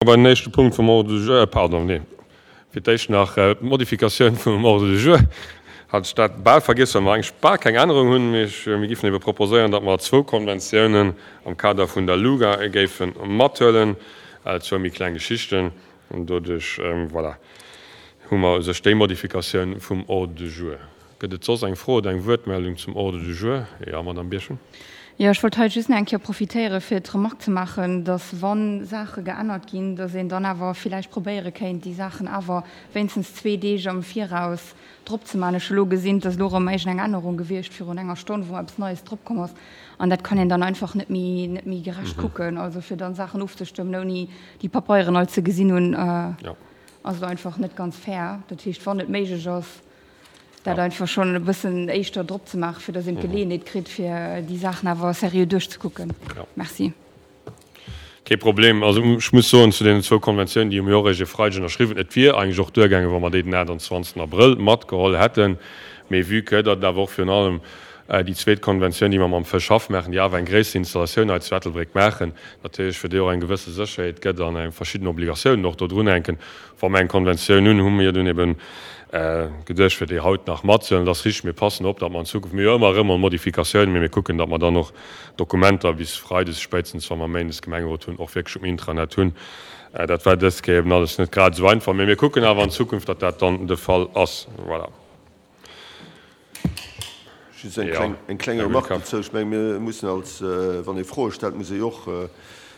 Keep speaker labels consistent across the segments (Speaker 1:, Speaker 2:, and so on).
Speaker 1: Bei den éischte Punkt vum Ordre du jour, pardon, nee, fir d'éischt nach d'Modifikatioun vum Ordre du jour, hat ech dat bal vergiess, well mer eigentlech bal keng Ännerung hunn. Mee ech, mir géifen ebe proposéieren, datt mer zwou Konventiounen am Kader vun der LUGA géife mathuelen, zwou méi kleng Geschichten. An doduerch, voilà, hu mer u sech déi Modifikatioun vum Ordre du jour. Gëtt et soss eng Fro oder eng Wuertmeldung zum Ordre du jour? Jo, Madamm Birchen.
Speaker 2: Jo, ech wollt hei just nach eng Kéier profitéieren, fir d'Remark ze maachen, dass, wa Saache geännert ginn, dass een dann awer villäicht probéiere kéint, déi Saachen awer wéinstens zwee Deeg am Viraus drop ze maachen. Ech hu elo gesinn, et ass elo erëm iergendeng Ännerung gewiescht virun enger Stonn, wou eppes Neies dropkomm ass. An dat kann een dann einfach net méi, net méi gerecht kucken. Also fir dann Saachen ofzestëmmen, ouni déi Papeieren all ze gesinn hunn, ass elo einfach net ganz fair. Dat heescht, wann et méiglech ass, dat einfach schonn e bëssen éischter drop ze maachen, fir datt een d'Geleeënheet kritt, fir déi Saachen awer seriö duerchzekucken. Merci.
Speaker 1: Kee Problem. Also ech muss soen, zu deenen zwou Konventiounen, déi hu mir och eréischt e Freideg ënnerschriwwen. Et wier eigentlech och duergaangen, wa mer déi den 28. Abrëll matgeholl hätten. Mee vue que datt et awer och virun allem déi zweet Konventioun, déi mer mam Fëschhaff maachen, déi awer eng gréisser Installatioun hei zu Ettelbréck maachen, natierlech fir déi och eng gewësse Sécherheet gëtt an eng verschidden Obligatiounen och do drunhänken, Wa mer eng Konventioun hunn, hu mir dunn eben geduecht, fir déi haut nach matzehuelen. Et ass richteg, mir passen op, datt mer an Zukunft, mir hu jo ëmmer erëm mol Modifikatiounen, mee mir kucken, datt mer dann och Dokumenter bis freides spéitstens, wa mer méindes Gemengerot hunn, och wierklech um Intranet hunn. Dat war dës Kéier eben alles net grad esou einfach, mee mir kucken awer an Zukunft, datt dat dann de Fall ass. Voilà.
Speaker 3: Just eng kleng, eng kleng Remarque dozou. Ech menge mir mussen als, wann ee Froe stellt, muss ee jo och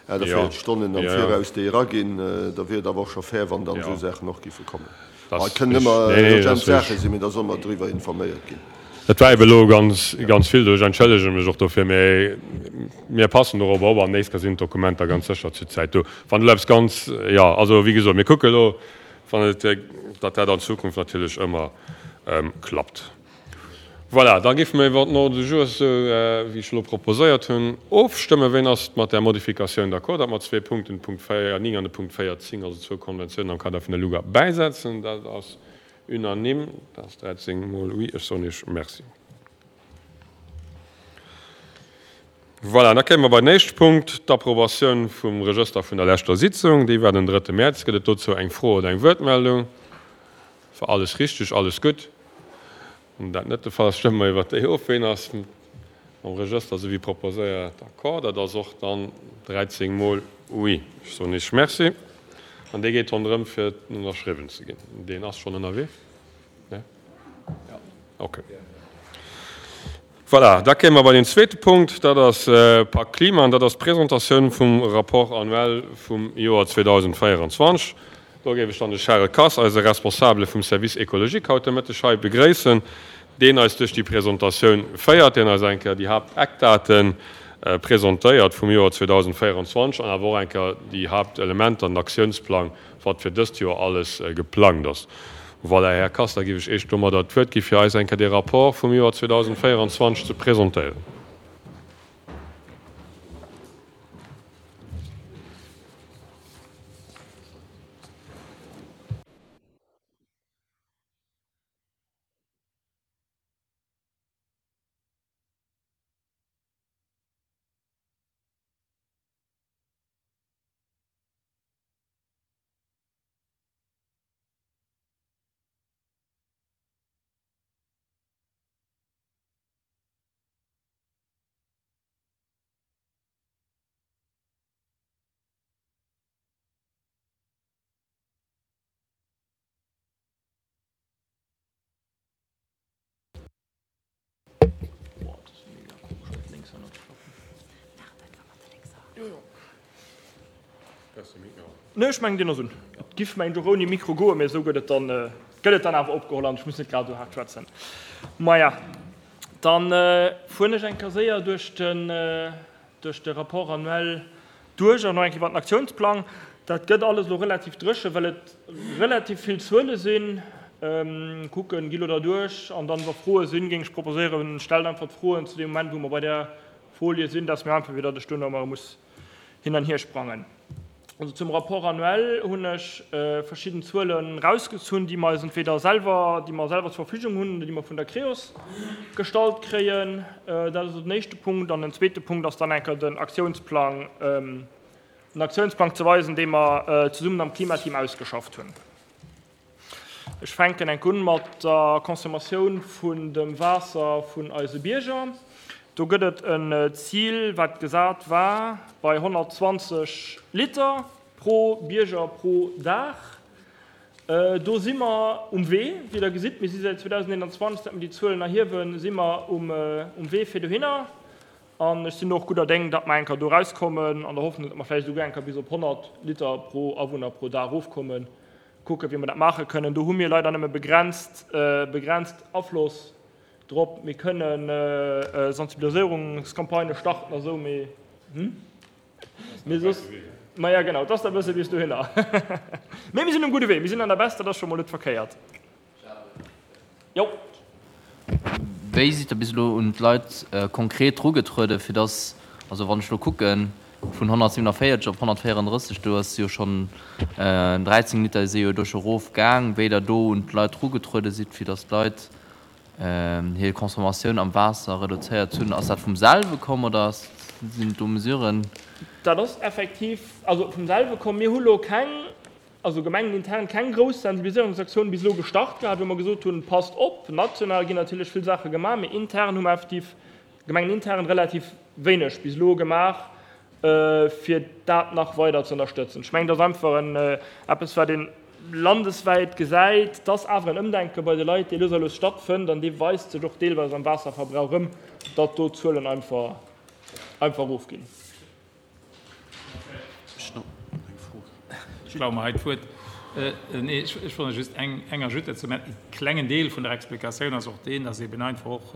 Speaker 3: 48 Stonnen am Viraus déi eraginn. Da wier et awer och scho fair, wann dann esou Saachen och géife kommen. Et kënnen ëmmer urgent Saache sinn, mee da solle mer driwwer informéiert ginn.
Speaker 1: Dat war ebe elo ganz, ganz vill do. Ech entschëllege mech och dofir, mee mir passen dorobber op an nächst Kéier sinn d'Dokumenter ganz sécher zur Zäit do. Wann elo eppes ganz, jo, also wéi gesot, mir kucke elo, wann et, datt dat an Zukunft natierlech ëmmer klappt. Voilà, da géife mer iwwer den Ordre du jour, esou wéi ech elo proposéiert hunn, ofstëmmen. Ween ass mat där Modifikatioun d'accord, datt mer zwee Punkten, de Punkt 4, 9 an de Punkt 14, also zwou Konventiounen am Kader vun der LUGA, bäisetzen? Dat ass unanime, dat ass 13 mol oui. Ech soen Iech Merci. Voilà, da kéime mer bei den éischte Punkt, d'Approbatioun vum Regëster vun der leschter Sitzung. Déi war den drëtte Mäerz. Gëtt et dozou eng Fro oder eng Wuertmeldung? War alles richteg, alles gutt? Wann dat net de Fall ass, stëmme mer iwwert déi of. Ween ass mam Regëster esou wéi proposéiert d'accord? Dat ass och dann 13 mol oui. Ech soen Iech Merci. An dee geet ronderëm fir ënnerschriwwen ze ginn. Deen ass schonn ënnerwee? Nee? Okay. Voilà, da kéime mer bei den zweete Punkt, dat ass Pak Klima an dat ass d'Presentatioun vum Rapport annuel vum Joer 2024. Do géif ech dann de Charel Kass, eise Responsabele vum Service écologique, haut de Mëtteg hei begréissen, deen eis duerch déi Presentatioun féiert, deen eis eng Kéier déi Haapteckdate presentéiert vum Joer 2024 an awer och eng Kéier déi Haaptelementer an den Aktiounsplang wat fir dëst Joer alles geplangt ass. Voilà, Här Kass, da géif ech Iech domadder d'Wuert gi fir eis eng Kéier dee Rapport vum Joer 2024 ze presentéieren.
Speaker 4: Nee, ech mengen deen ass un. Et giff mengen ech och ouni Mikro goen, mee esou gëtt et dann, gëtt et dann awer opgeholl an ech muss net grad esou haart schwätzen. Maja, dann fueren ech eng Kéier séier duerch den, duerch de Rapport annuel duerch an och eng Kéier iwwer den Aktiounsplang. Dat gëtt alles elo relativ dréchen, well et relativ vill Zuele sinn. Kucken, gi lo derduerch an dann, wa Froe sinn, géing ech proposéieren, stellt einfach d'Froen zu deem Moment, wou mer bei där Folie sinn, dat ass méi einfach, wéi datt ech duerno ëmmer muss hin an hier sprangen. Also zum Rapport annuel hunn ech verschidden Zuelen erausgezunn, déi mer eis entweder selwer, déi mer selwer zur Verfügung hunn oder déi mer vun der Creos gestallt kréien. Dat ass also den éischte Punkt. An den zweete Punkt ass dann enker den Aktiounsplang. den Aktiounsplang ze weisen, dee mer zesummen am Klimateam ausgeschafft hunn. Ech fänken enk un mat der Consommatioun vun dem Waasser vun eise Bierger. Do gëtt et en Zil, wat gesat war bei 120 Liter pro Bierger pro Dag. Do si mer um Wee, wéi Der gesitt. Mir si säit 2021, säit mer déi Zuelen erhiewen, si mer um Wee fir dohinner. An ech sinn och gudder Déng, datt mer eng Kéier do erauskommen, an der Hoffnung, datt mer vläicht esouguer eng Kéier bis op 100 Liter pro Awunner pro Dag erofkommen. Kucken, wéi mer dat maache kënnen. Do hu mir leider nëmme begrenzt, begrenzt Afloss drop. Mir kënnen Sensibiliséierungscampagnë starten a sou, mee, mee soss, maja genau, et ass da e bësse bis dohinner. Mee mir sinn um gudde Wee, mir sinn an der Baisse, dat ass scho mol net verkéiert. Jo.
Speaker 5: Wéi sidd Der bis elo un d'Leit konkret erugetrueden, fir dass, also wann ech elo kucken, vun 147 op 134, do ass jo schonn 13 Liter si jo do scho erofgaang, wéi Der do un d'Leit erugetruede sidd, fir dass d'Leit hir Consommatioun am Waasser reduzéiert hunn? Ass dat vum selwe komm oder sinn do Mesuren?
Speaker 4: Dat ass effektiv, also vum selwe komm. Mir hu lo keng also gemengenintern keng grouss Sensibiliséierungsaktioun bis elo gestart gehat, wou mer gesot hunn, passt op. National ginn natierlech vill Saache gemaach, mee intern hu mer effektiv, gemengenintern, relativ wéineg bis elo gemaach, fir dat nach weider ze ënnerstëtzen. Ech mengen, dat ass einfach en, eppes, wat ee landeswäit gesäit, dass awer en Ëmdenke bei de Leit, dee lues a lues stattfënnt, an dee weist sech och deelweis am Waasserverbrauch erëm, datt do d'Zuelen einfach, einfach erofginn.
Speaker 6: Ech klaue mer hei d'Wuert. Nee, ech wollt just eng Ajoute dozou maachen. E klengen Deel vun der Explikatioun ass och deen, dass eben einfach och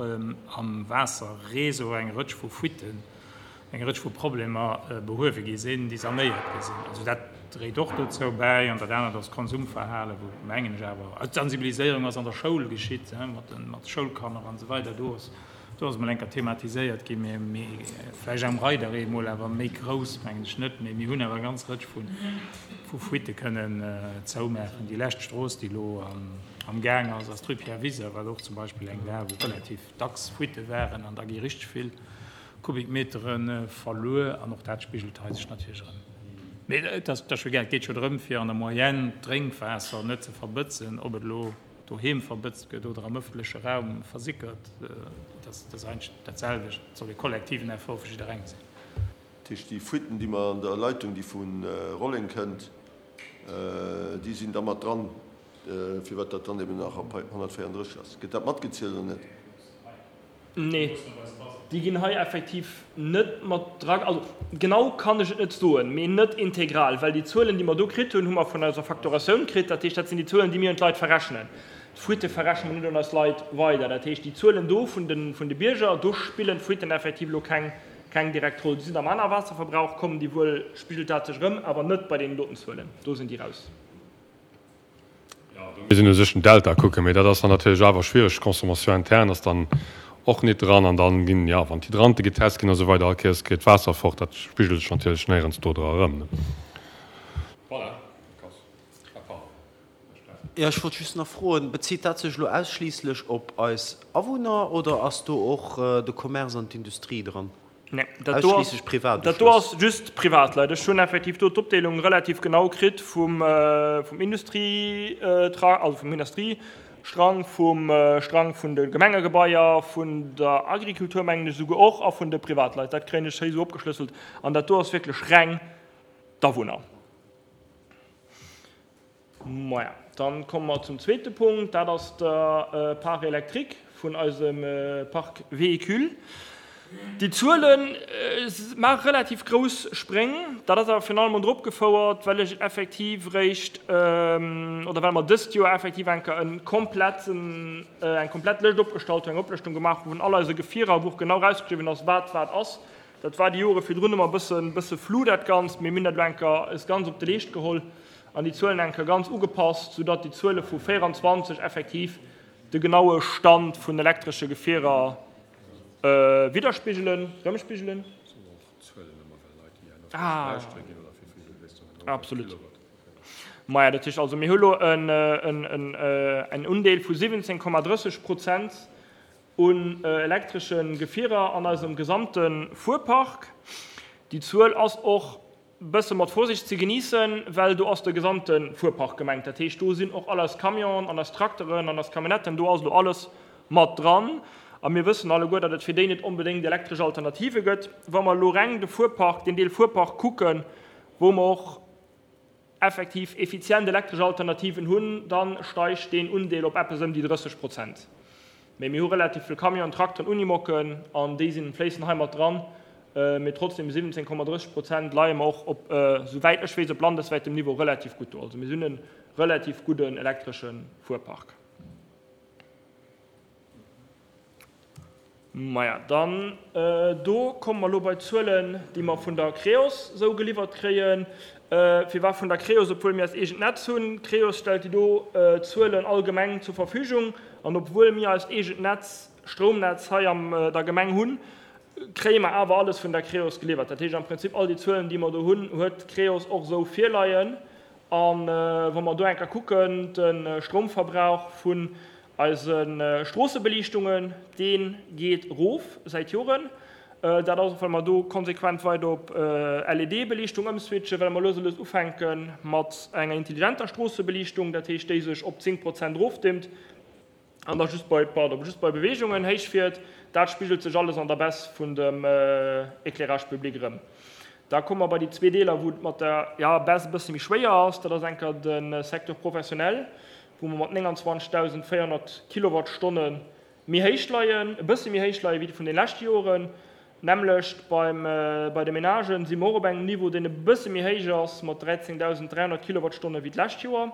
Speaker 6: am Waasserreseau eng Rëtsch vu Fuitten, eng Rëtsch vu Problemer behuewe gi sinn, déi sanéiert gi sinn. Also dat dréit och dozou bäi. An dat anert ass d'Konsumverhalen, wou, mengen ech awer, also d'Sensibiliséierung ass an der Schoul geschitt, mat de Schoulkanner an esou weider. Do ass Do ass emol eng Kéier thematiséiert ginn, mee, mee vläicht am Reideree emol, awer méi grouss mengen ech net. Mee mir hunn awer eng ganz Rëtsch vu, vu Fuitte kënnen zoumaachen. Déi lescht Strooss, déi elo am Gaang ass, ass d'Rue Pierre Wiser, wat och zum Beispill eng war, wou relativ dacks Fuitte waren an da gi richteg vill Kubikmetere verluer an och dat spigelt hei sech natierlech erëm. Mee et ass, et ass jo egal, et geet jo drëm, fir an der Moyenne d'Drénkwaasser net ze verbëtzen, ob et elo doheem verbëtzt gëtt oder am ëffentleche Raum versickert, dat ass eigentlech dat selwecht. Et soll e kollektiven Effort vu jidderengem sinn.
Speaker 3: Dat heescht, déi Fuiten, déi mer an der Leitung, déi vu Rolleng kënnt, déi sinn da mat dran, firwat dat dann eben nach op 134 ass. Gëtt dat matgezielt oder net?
Speaker 4: Nee, déi ginn hei effektiv net mat dra. Also genau kann ech et net soen, mee net integral, well déi Zuelen, déi mer do kritt hunn, hu mer vun eiser Facturatioun kritt. Dat heescht, dat sinn déi Zuelen, déi mir un d'Leit verrechnen. D'Fuite verrechne mer net un eis Leit weider. Dat heescht, déi Zuelen do vun de, vun de Bierger, do spillen d'Fuiten effektiv elo keng, keng direkt Roll. Déi sinn am aner Waasserverbrauch, kommen déi wuel, spigelt dat sech erëm, awer net bei deenen doten Zuelen. Do sinn déi raus.
Speaker 1: Mir sinn u sech den Delta kucken, mee dat ass dann natierlech awer schwiereg. D'Consommation interne ass dann och nit dran an dann ginn, jo, wann d'Hydrante getest ginn a sou weider, all Kéiers geet d'Waasser fort. Dat spigelt sech natierlech néierens do dra erëm.
Speaker 7: Voilà, Ah, pardon, Här Steffen. Jo, ech wollt just nach froen, Bezitt dat sech elo ausschliisslech op eis Awunner oder ass do och de Commerce an d'Industrie dran?
Speaker 4: Nee, dat do ass, dat do ass just Privatleit. Ech hunn effektiv do d'Opdeelung relativ genau kritt vum, vum Industrietra, also vum Industriestrang, vum Strang vun de Gemengegebaier, vun der Agriculture mengen ech esouguer och a vun de Privatleit. Dat kréien ech héi esou opgeschlësselt an dat do ass wierklech reng d'Awunner. Maja, dann komme mer zum zweete Punkt, dat ass der Part électrique vun eisem Parc véhicule. Déi Zuele maache relativ grouss Spréng. Dat ass awer virun allem drop gefouert, well ech effektiv eréischt, oder well mer dëst Joer effektiv eng Kéier e kompletten, eng komplett Lëscht opgestallt hunn, eng Oplëschtung gemaach hu vun all eise Gefierer, wou och genau erausgeschriwwen ass, wat wat ass. Dat war déi Jore virdrun ëmmer e bëssen, bësse flou dat Ganzt, mee mir hunn dat elo eng Kéier eis ganz op de Leescht geholl an déi Zuelen eng Kéier ganz ugepasst, soudatt déi Zuele vu 24 effektiv de genaue Stand vun elektresche Gefierer widderspigelen, erëmspigelen. Ah, absolut. Maja, dat heescht also, mir hu elo en Undeel vu 17,30 Prozent un elektresche Gefierer an eisem gesamte Fuerpark. Déi Zuel ass och. Bësse mat Vorsicht ze geniessen, well do ass de gesamte Fuerpark gemengt. Dat heescht, do sinn och all eis Camionen an eis Trakteren an eis Camionnetten, do ass elo alles mat dran. A mir wëssen alleguer, datt et fir déi net onbedéngt elektresch Alternative gëtt. Wa mer elo reng de Fuerpark, deen Deel Fuerpark kucken, wou mer och effektiv effizient elektresch Alternativen hunn, da steigt deen Undeel op eppes ëm déi 30 Prozent. Mee mir hu relativ vill Camionen, Trakteren, Unimocken an déi sinn, fléissen hei mat dran. Mee trotzdem 17,30 Prozent leie mer och op, souwäit ech weess, op landeswäitem Niveau relativ gutt do. Also mir hunn e relativ gudden elektresche Fuerpark. Maja, dann do komme mer elo bei d'Zuelen, déi mer vun der Creos esou geliwwert kréien. Firwat vun der Creos, obwuel mir eist eegent Netz hunn? D'Creos stellt déi do Zuelen allgemeng zur Verfügung. An obwuel mir eist eegent Netz, Stroumnetz hei am der Gemeng hunn, kréie mer awer alles vun der Creos geliwwert. Dat heescht am Prinzip, all déi Zuelen, déi mer do hunn, huet d'Creos och esou virleien. A wa mer do eng Kéier kucken, de Stroumverbrauch vun Eise Stroossebeliichtungen, dee geet erof säit Joren. Dat ass och, well mer do konsequent weider op LED-Beliichtung ëmswitchen, well mer lues a lues ufänke mat enger intelligenter Stroossebeliichtung, dat heescht, déi sech op 10 Prozent erofdimmt an da just bei, pardon, just bei Beweegungen héich fiert. Dat spigelt sech alles an der Baisse vun dem Éclairage public erëm. Da komme mer bei déi zwee Deeler, wou et mat der, jo, Baisse e bësse méi schwéier ass. Dat ass enker de Secteur professionnel, wou mer mat 29.400 Kilowattstonne méi héich leien, e bësse méi héich leie wéi vun de leschte Joren. D'nämmlecht beim, bei de Menagen si mer och op engem Niveau, deen e bësse méi héich ass mat 13.300 Kilowattstonne wéi d'lescht Joer.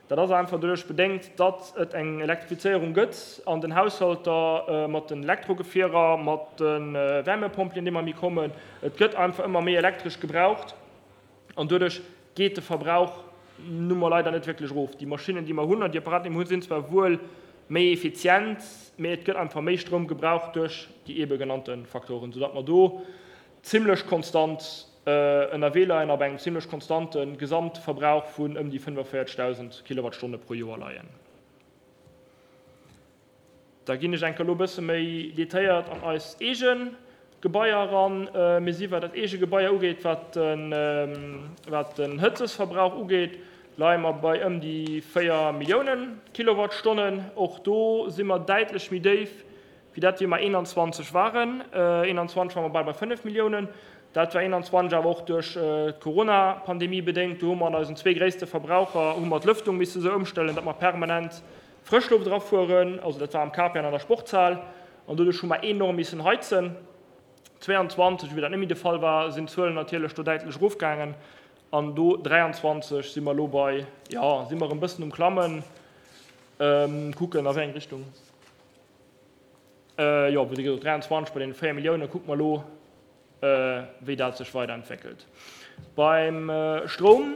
Speaker 4: Dat ass einfach doduerch bedéngt, datt et eng Elektrifizéierung gëtt an den Haushalter mat den Elektrogefierer, mat de Wärmepompelen, déi ëmmer méi kommen. Et gëtt einfach ëmmer méi Elektresch gebraucht. An doduerch geet de Verbrauch nu mol leider net wierklech erof. Déi Maschinnen, déi mer hunn, an déi Apparaten, déi mer hunn, sinn zwar wuel méi effizient, mee et gëtt einfach méi Stroum gebraucht duerch déi eebe genannte Faktoren, soudatt mer do zimlech konstant ënnerwee leien a bei engem zimlech konstante Gesamtverbrauch vun ëm déi 45.000 Kilowattstonne pro Joer leien. Da ginn ech enker elo e bësse méi detailléiert an eis eege Gebaier eran. Mir si wat dat eege Gebaier ugeet, wat den, wat den Hëtzesverbrauch ugeet, leie mer bei ëm déi 4 Milliounen Kilowattstonnen. Och do si mer däitlech méi déif wéi dat, wéi mer 21 waren. 21 ware mer bal bei 5 Milliounen. Dat war 21 awer och duerch d'Corona-Pandemie bedéngt. Do hu mer an eisen zwee gréisste Verbraucher hu mer d'Lëftung misse sou ëmstellen, datt mer permanent Frëschloft erafueren, also dat war am Capian an der Sportshal, an doduerch hu mer enorm missen heizen. 22, wéi dat net méi de Fall war, sinn d'Zuelen natierlech do däitlech erofgaangen an do 23 si mer elo bei, jo, si mer erëm bëssen um Klammen, kucken a wéi eng Richtung, jo, wéi gesot 23 bei deene 4 Milliounen, kucke mer elo, wéi dat sech weiderentwéckelt. Beim Stroum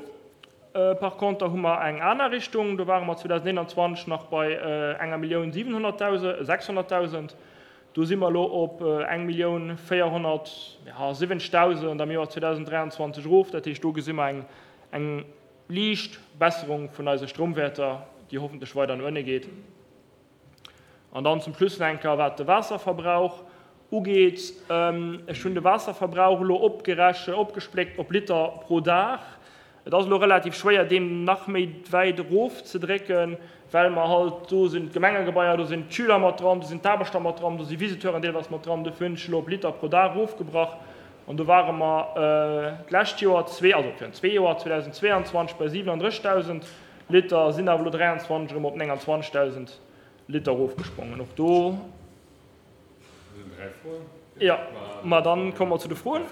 Speaker 4: par conter hu mer eng aner Richtung. Do ware mer 2021 nach bei enger Millioun 700.000, 600.000. Do si mer elo op eng Millioun 470.000 am Joer 2023 erof. Dat heescht, do gesi mer eng, eng liicht Besserung vun eise Stroumwäerter, déi hoffentlech weider no ënne geet. An dann zum Schluss nach eng Kéier, wat de Waasserverbrauch ugeet. Ech hunn de Waasserverbrauch elo opgereche, opgespléckt op Liter pro Dag. Et ass elo relativ schwéier, deem nach méi wäit erofzedrécken, well mer halt, do sinn d'Gemengegebaier, do sinn d'Schüler mat dran, do sinn d'Aarbechter mat dran, do si Visiteuren deelweis mat dran. Dofir hunn ech elo op Liter pro Dag erofgebrach. An do ware mer d'lescht Joer, zwee, also virun zwee Joer, 2022, bei 37.000 Liter, sinn awer elo 23 erëm op 29.000 Liter erofgesprongen. Och do. Jo, ma dann komme mer zu de Froen.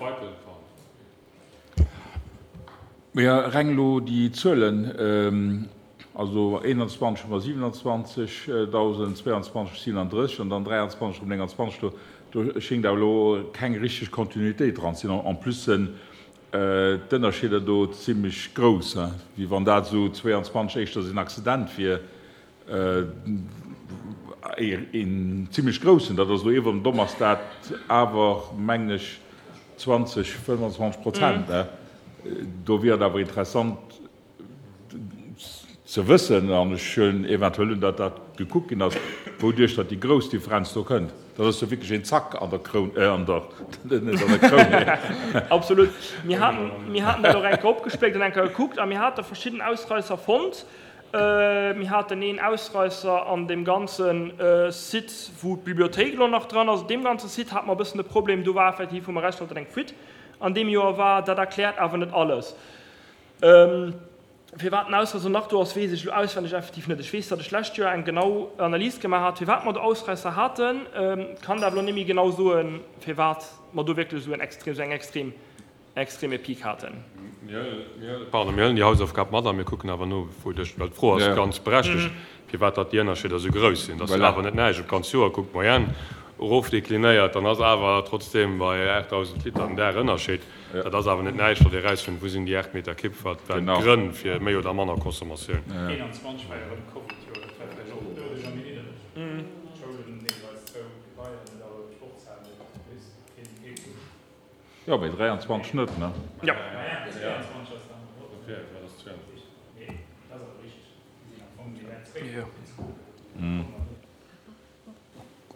Speaker 8: Jo, reng elo déi Zuelen, also 21 hu mer 27.000, 22 37 an dann 23 erëm 29, do do schéngt awer elo keng richteg Kontinuitéit dran ze sinn. En plus sinn d'Ënnerscheeder do zimlech grouss, wéi wann dat esou 22 éischters een Accident wier. Een zimlech groussen, dat ass elo iwwerem domm, ass dat awer, mengen ech, 20, 25 Prozent. Do wier et awer interessant ze wëssen, an ech huelen eventuell un, datt dat gekuckt ginn ass. wouduerch datt déi grouss Differenz do kënnt. Dat ass jo wierklech een Zack an der Kroun, an der, net an der Kroun, mee.
Speaker 4: Absolut. Mir haten, mir haten dat och eng Kéier opgespléckt an eng Kéier gekuckt a mir hate verschidden Ausreisser fonnt. Mir haten een Ausreisser an deem ganze Site, wou d'Bibliothéik elo nach dran ass. Deem ganze Site hate mer e bëssen e Problem. Do war effektiv, wou mer erausfonnt, datt eng Fuite an deem Joer war. Dat erkläert awer net alles. Firwat den Ausreisser nach do ass, weess ech elo auswenneg effektiv net. Ech weess, datt ech d'lescht Joer eng genau Analys gemaach hat, firwat mer do Ausreisser haten. Kann dat elo net méi genau soen, firwat mer do wierklech esou en extrem, esou eng extrem, extreme Peak haten.
Speaker 1: Pardon, mir huelen déi Hausaufgab mat a mir kucken awer no, wou dech, well d'Fro ass ganz berechtegt, firwat datt déi Ënnerscheeder esou grouss sinn. Datt awer net näischt op d'ganz Joer kuckt, d'Moyenne erofdeklinéiert, dann ass awer trotzdem bei 8.000 Liter den Dag Ënnerscheed. Dat ass awer net näischt, wat Dir erausfënnt, wou sinn déi 8 Meter Kipp, wat waren d'Grënn fir méi oder manner Consommatioun.
Speaker 6: 21 war jo erëm Covid-Joer, dat war vläicht och doduercher méi niddereg. D'Schoulen deelweis zou, d'Gebaier net all, d'Sportshal net, weess keen kee.
Speaker 8: Jo, mee 23 net, ne?
Speaker 4: Jo.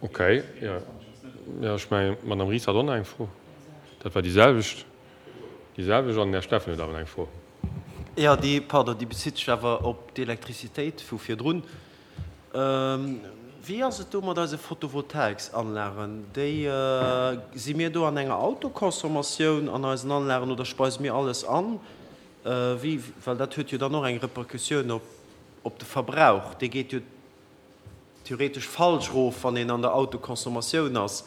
Speaker 1: Ok, jo. Jo, ech mengen, d'Madame Ries hat och nach eng Fro. Dat war déi selwecht, déi selwecht. An den Här Steffen huet awer nach eng Fro.
Speaker 7: Jo, déi, pardon, déi bezitt sech awer op d'Elektrizitéit vu virdrun. Wéi ass et do mat eise Photovoltaiksanlagen? Déi, si mir do an enger Autoconsommatioun an eisen Anlagen oder speise mir alles an? Wéi, well dat huet jo dann och eng Repercussioun op, op de Verbrauch. Dee geet jo theoretesch falsch erof, wann een an der Autoconsommatioun ass,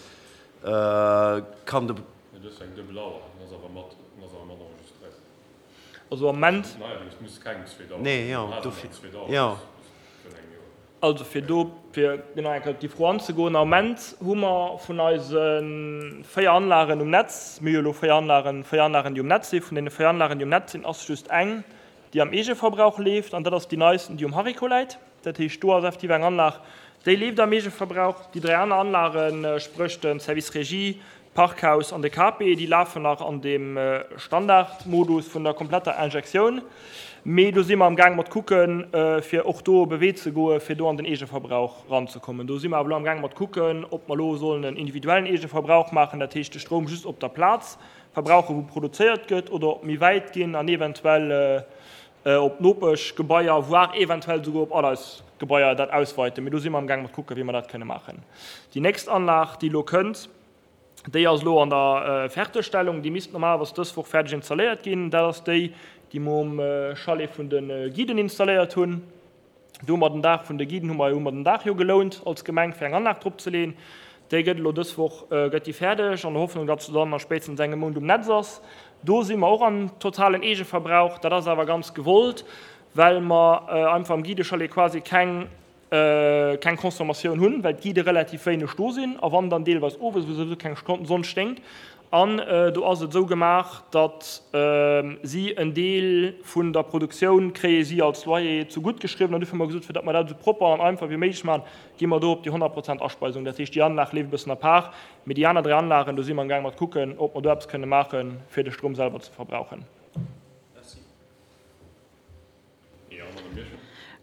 Speaker 7: kann de.
Speaker 1: Mee du hues eng duebel Auer, den ass awer mat, den ass awer mat enregistréiert.
Speaker 4: Also am Ament.
Speaker 1: Neierdings muss keng zweet Auer
Speaker 7: Nee, jo, dofir, jo.
Speaker 4: Also fir do, fir genau eng Kéier op déi Fro anzegoen, am Ament hu mer vun eise 4 Anlagen um Netz, mir hu jo elo 4 Anlagen, 4 Anlagen, déi um Netz sinn, vun deene 4 Anlagen, déi um Netz sinn, ass just eng, déi am Eegeverbrauch leeft, an dat ass déi neisten, déi um Hariko läit. Dat heescht, do ass effektiv eng Anlag, déi leeft am Eegeverbrauch. Déi dräi aner Anlagen, spréch de Service Régie, d'Parkhaus an de KP, déi lafen nach an deem Standardmodus vun der kompletter Injektioun. Mee do si mer amgaang mat kucken, fir och do op e Wee ze goen, fir do an den Eegeverbrauch ranzekommen. Do si mer awer elo amgaang mat kucken, ob mer elo sollen en individuellen Eegeverbrauch maachen, dat heescht de Stroum just op der Plaz verbrauchen, wou produzéiert gëtt, oder ob méi wäit ginn an eventuell op d'Nopeschgebaier, voire eventuell souguer op all eis Gebaier dat ausweiten. Mee do si mer amgaang mat kucken, wéi mer dat kënne maachen. Déi nächst Anlag, déi elo kënnt, déi ass elo an der Fertegstellung. Déi misst normalerweis dës Woch fäerdeg installéiert ginn. Dat ass déi, déi mer um Chalet vun de Guiden installéiert hunn. Do hu mer den Daach vun de Guiden hu mer hu mer den Daach jo gelount als Gemeng fir eng Anlag drop ze leen. Déi gëtt elo dës Woch gëtt déi fäerdeg an der Hoffnung, datt se dann a spéitstens engem Mount um Netz ass. Do si mer och am totalen Eegeverbrauch. Dat ass awer ganz gewollt, well mer einfach am Guidechalet quasi keng keng Consommatioun hunn, well d'Guidë relativ wéineg do sinn a wann dann deelweis owes, wou souwisou keng Sonn sténgt. An do ass et esou gemaach, datt si en Deel vun der Produktioun kréie si als Loyer zu gutt geschriwwen. An dofir hu mer gesot, fir datt mer dat esou propper an einfach wéi méiglech maachen, gi mer do op déi 100 Prozent Aspeisung. Dat heescht, déi Anlag leeft e bëssen à part, mee déi aner 3 Anlagen, do si mer amgaang mat kucken, ob mer do eppes kënne maachen, fir de Stroum selwer ze verbrauchen.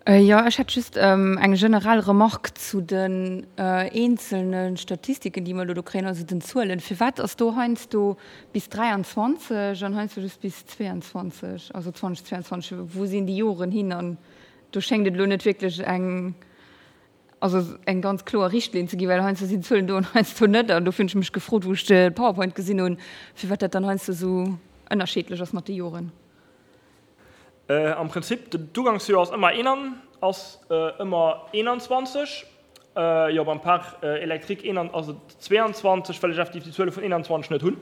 Speaker 2: Jo, ech hätt just eng generell Remarque zu den eenzelne Statistiken, déi mer elo do kréien, also den Zuelen. Firwat ass do heiansdo bis 23 an heiansdo just bis 22, also 2022? Wou sinn déi Joren hin? An do schéngt et elo net wierklech eng, also eng ganz kloer Richtlinn ze ginn, well heiansdo sinn d'Zuelen do an heiansdo net. An dofir hunn ech mech gefrot, wou ech de PowerPoint gesinn hunn, firwat dat dann heiansdo esou ënnerschiedlech ass mat de Joren.
Speaker 4: Am Prinzip, d'Ugangsjoer ass ëmmer een ass ëmmer 21. Jo, beim Parc électrique een ass et 22, well ech effektiv déi Zuele vun 21 net hunn.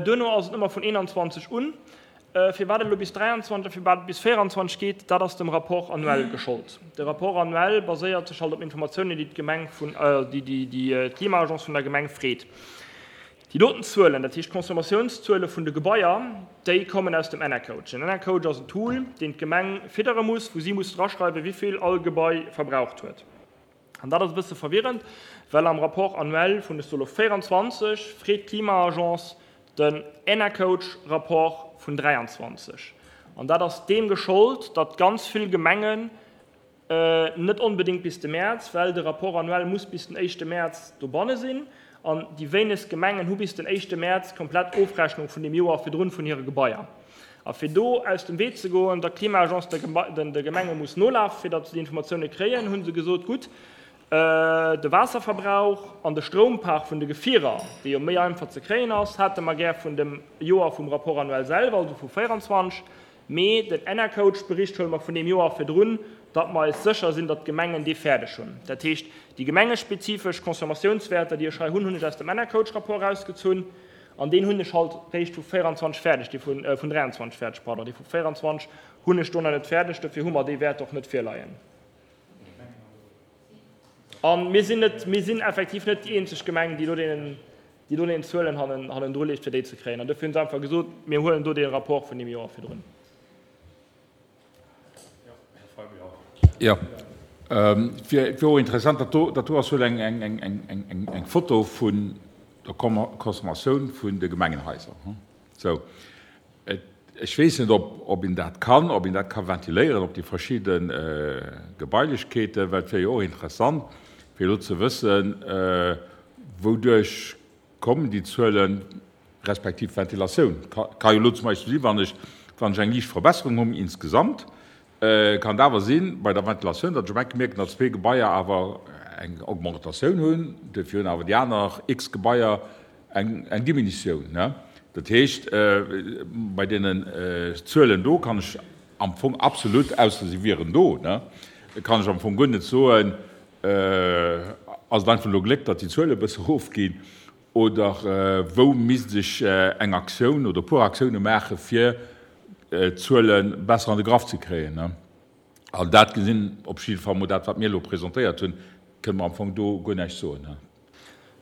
Speaker 4: Duerno ass et ëmmer vun 21 un. Firwat et elo bis 23 a firwat et bis 24 geet, dat ass dem Rapport annuel geschollt. De Rapport annuel baséiert sech halt op Informatiounen, déi d'Gemeng vun, déi d'Klima-Agence vun der Gemeng freet. Déi doten Zuelen, dat heescht d'Consommatiounszue vun de Gebaier, déi kommen aus dem Enercoach. Den Enercoach ass en Tool, deen d'Gemeng fiddere muss, wou si muss draschreiwen, wéi vill all Gebai verbraucht huet. An dat ass e bësse verwirrend, well am Rapport annuel vun, ech soe lo 24, freet d'Klima-Agence den Enercoach-Rapport vun 23. An dat ass deem geschollt, datt ganz vill Gemengen. Net onbedéngt bis de Mäerz, well de Rapport annuel muss bis den éischte Mäerz dobanne sinn. An déi wéinegst Gemengen hu bis den éischte Mäerz d'komplett Ofrechnung vun deem Joer virdrun vun hire Gebaier. A fir do aus dem Wee ze goen, datt d'Klima-Agence de Gemenge muss nolafen, fir datt se déi Informatioune kréien, hu se gesot, Gutt, de Waasserverbrauch an de Stroumpark vun de Gefierer, dee jo méi einfach ze kréien ass, hate mer gär vun dem Joer vum Rapport annuel selwer, also vu 24. Mee den Enercoach-Bericht huele mer vun deem Joer virdrun, datt mer eis sécher sinn, datt d'Gemengen dee fäerdeg hunn. Dat heescht, déi gemengespezifesch Consommatiounswäerter, déi ech hei hunn, hunn ech aus dem Enercoach-Rapport erausgezunn. An deen hunn ech halt réischt vu 24 fäerdeg, dee vun, vun 23 fäerdeg, pardon, dee vu 24 hunn ech do nach net fäerdeg. Dofir hu mer déi Wäerter och net virleien. A mir sinn net, mir sinn effektiv net déi eenzeg Gemeng, déi do deenen, déi do deenen Zuelen hannen, hannendru leeft, fir déi ze kréien. An dofir hunn se einfach gesot, mir huelen do dee Rapport vun deem Joer virdrun.
Speaker 8: Jo, et wier och interessant, dat do, dat do ass wuel eng, eng, eng, eng, eng, eng Foto vun der Consommatioun vun de Gemengenhaiser. Sou, ech weess net, ob, ob een dat kann, ob een dat ka ventiléieren op déi verschidde Gebailechkeeten, well et wier jo och interessant, fir elo ze wëssen, wouduerch kommen déi Zuelen, respektiv d'Ventilatioun ka jo elo zum Beispill sinn, wann ech, wann ech eng liicht Verbesserung hunn insgesamt, kann et awer sinn bei der Ventilatioun, datt ech op eng Kéier mierken, datt zwee Gebaier awer eng Augmentatioun hunn, duerfir hunn awer déi aner x Gebaier eng, eng Diminutioun. Dat heescht, bei deenen Zuelen do kann ech am Fong absolut, ausser se wieren do, kann ech am Fong guer net soen, ass et einfach elo Gléck, datt déi Zuele e bësse erofginn, Oder wou misst ech eng Aktioun oder e puer Aktioune maache fir d'Zuele besser an de Graff ze kréien? An dat gesinn op jidde Fall mol dat, wat mir elo presentéiert hunn, kënne mer am Fong do guer näischt soen.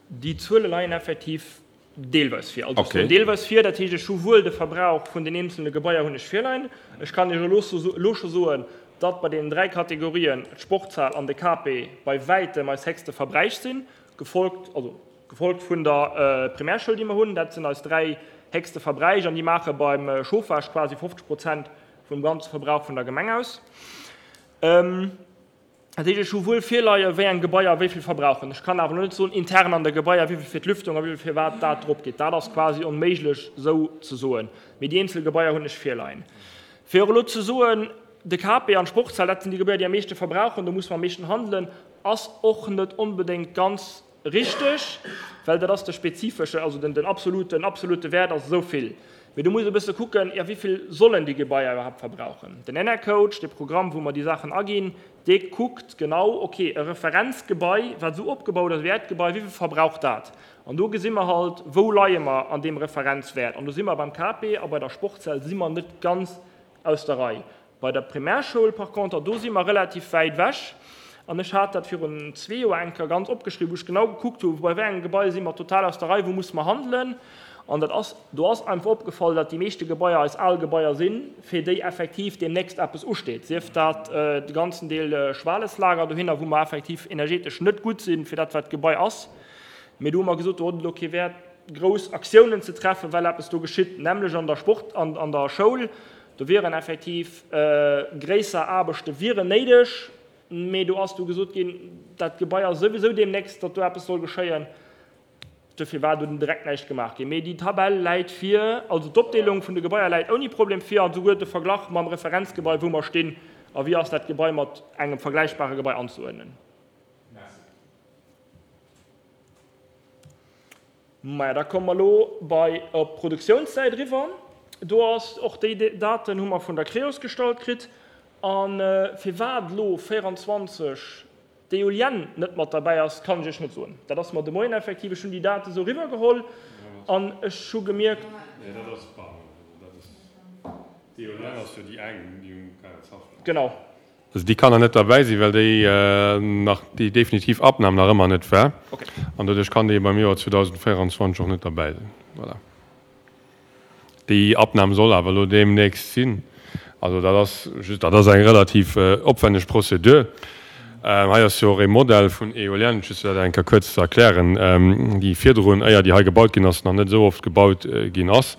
Speaker 4: Déi Zuele leien effektiv deelweis vir. Also ech soen deelweis vir, dat heescht, ech hu wuel de Verbrauch vun den eenzelne Gebaier hunn ech virleien. Ech kann Iech elo scho soen, datt bei deenen 3 Kategorien d'Sportshal an de KP bei wäitem eis héchste Verbräich sinn, gefolgt, also Gefolgt vun der Primärschoul, déi mer hunn. Dat sinn eis 3 héchste Verbräich an déi maache beim Chauffage quasi 50 Prozent vum ganze Verbrauch vun der Gemeng aus. Dat heescht, ech hu wuel virleie wéi eng Gebaier wéi vill verbrauchen. Ech kann awer elo net soen, intern an de Gebaier, wéi vill fir d'Lüftung a wéi vill fir wat dat drop geet. Dat ass quasi onméiglech esou ze soen. Mee déi eenzel Gebaier hunn ech virleien. Fir och elo ze soen, de KP an d'Sportshal, dat sinn déi Gebaier, déi am meeschte verbrauchen, do musse mer am meeschten handelen, ass och net onbedéngt ganz Richteg, well dat ass de spezifesche, also den absoluten, absolute Wäert ass esou vill. Mee do muss ee e bësse kucken, jo, wéi vill sollen déi Gebaier iwwerhaapt verbrauchen? Den Enercoach, dee Programm, wou mer déi Saachen aginn, dee kuckt genau, okay, e Referenzgebai, wat esou opgebaut ass wéi äert Gebai, wéi vill verbraucht dat? An do gesi mer halt, wou leie mer an deem Referenzwäert. An do si mer beim KP a bei der Sportshal si mer net ganz aus der Rei. Bei der Primärschoul par conter, do si mer relativ wäit ewech. An ech hat dat virun zwee Joer eng Kéier ganz opgeschriwwen, wou ech genau gekuckt hu, bei wéi engem Gebai si mer total aus der Rei, wou musse mer handelen. An dat ass, do ass einfach opgefall, datt déi meeschte Gebaier eis al Gebaier sinn, fir déi effektiv deemnächst eppes usteet, sief dat de ganzen Deel Schwaleslager dohinner, wou mer effektiv energetesch net gutt sinn, fir dat wat d'Gebai ass. Mee do hu mer gesot, do huet et elo kee Wäert, grouss Aktiounen ze treffen, well eppes do geschitt, nämlech an der Sport, an der Schoul. Do wieren effektiv gréisser Aarbechte wieren néideg, mee do ass du gesot ginn, dat Gebai ass souwisou deemnächst, datt do eppes soll geschéien. Dofir war do direkt näischt gemaach ginn. Mee déi Tabell läit vir, also d'Opdeelung vun de Gebaier läit ouni Problem vir an souguer de Verglach mam Referenzgebai, wou mer stinn a wéi ass dat Gebai mat engem vergläichbare Gebai anzeuerdnen. Maja, da komme mer elo bei op d'Produktiounssäit eriwwer. Do ass och déi Daten hu mer vun der Creos gestallt kritt. A firwat elo 24 d'Eolienne net mat derbäi ass, kann ech Iech net soen. Dat ass mer de Moien effektiv, ech hunn déi Date esou eriwwergeholl an ech hu gemierkt,
Speaker 1: Nee, dat ass, pardon, dat ass, d'Eolienne ass jo déi eng, déi um Kayertshaff.
Speaker 4: Genau.
Speaker 1: Also déi kann nach net derbäi sinn, well déi nach déi definitiv Abnam nach ëmmer net war. An doduerch kann déi beim Joer 2024 och net derbäi sinn. Voilà. Déi Abnam soll awer elo deemnächst sinn. Also dat ass just, dat ass eng relativ opwenneg Prozedur. Hei ass jo och ee Modell vun Eolienne, just fir dat eng Kéier kuerz ze erklären, déi virdrun, éier déi hei gebaut ginn ass, nach net esou oft gebaut ginn ass.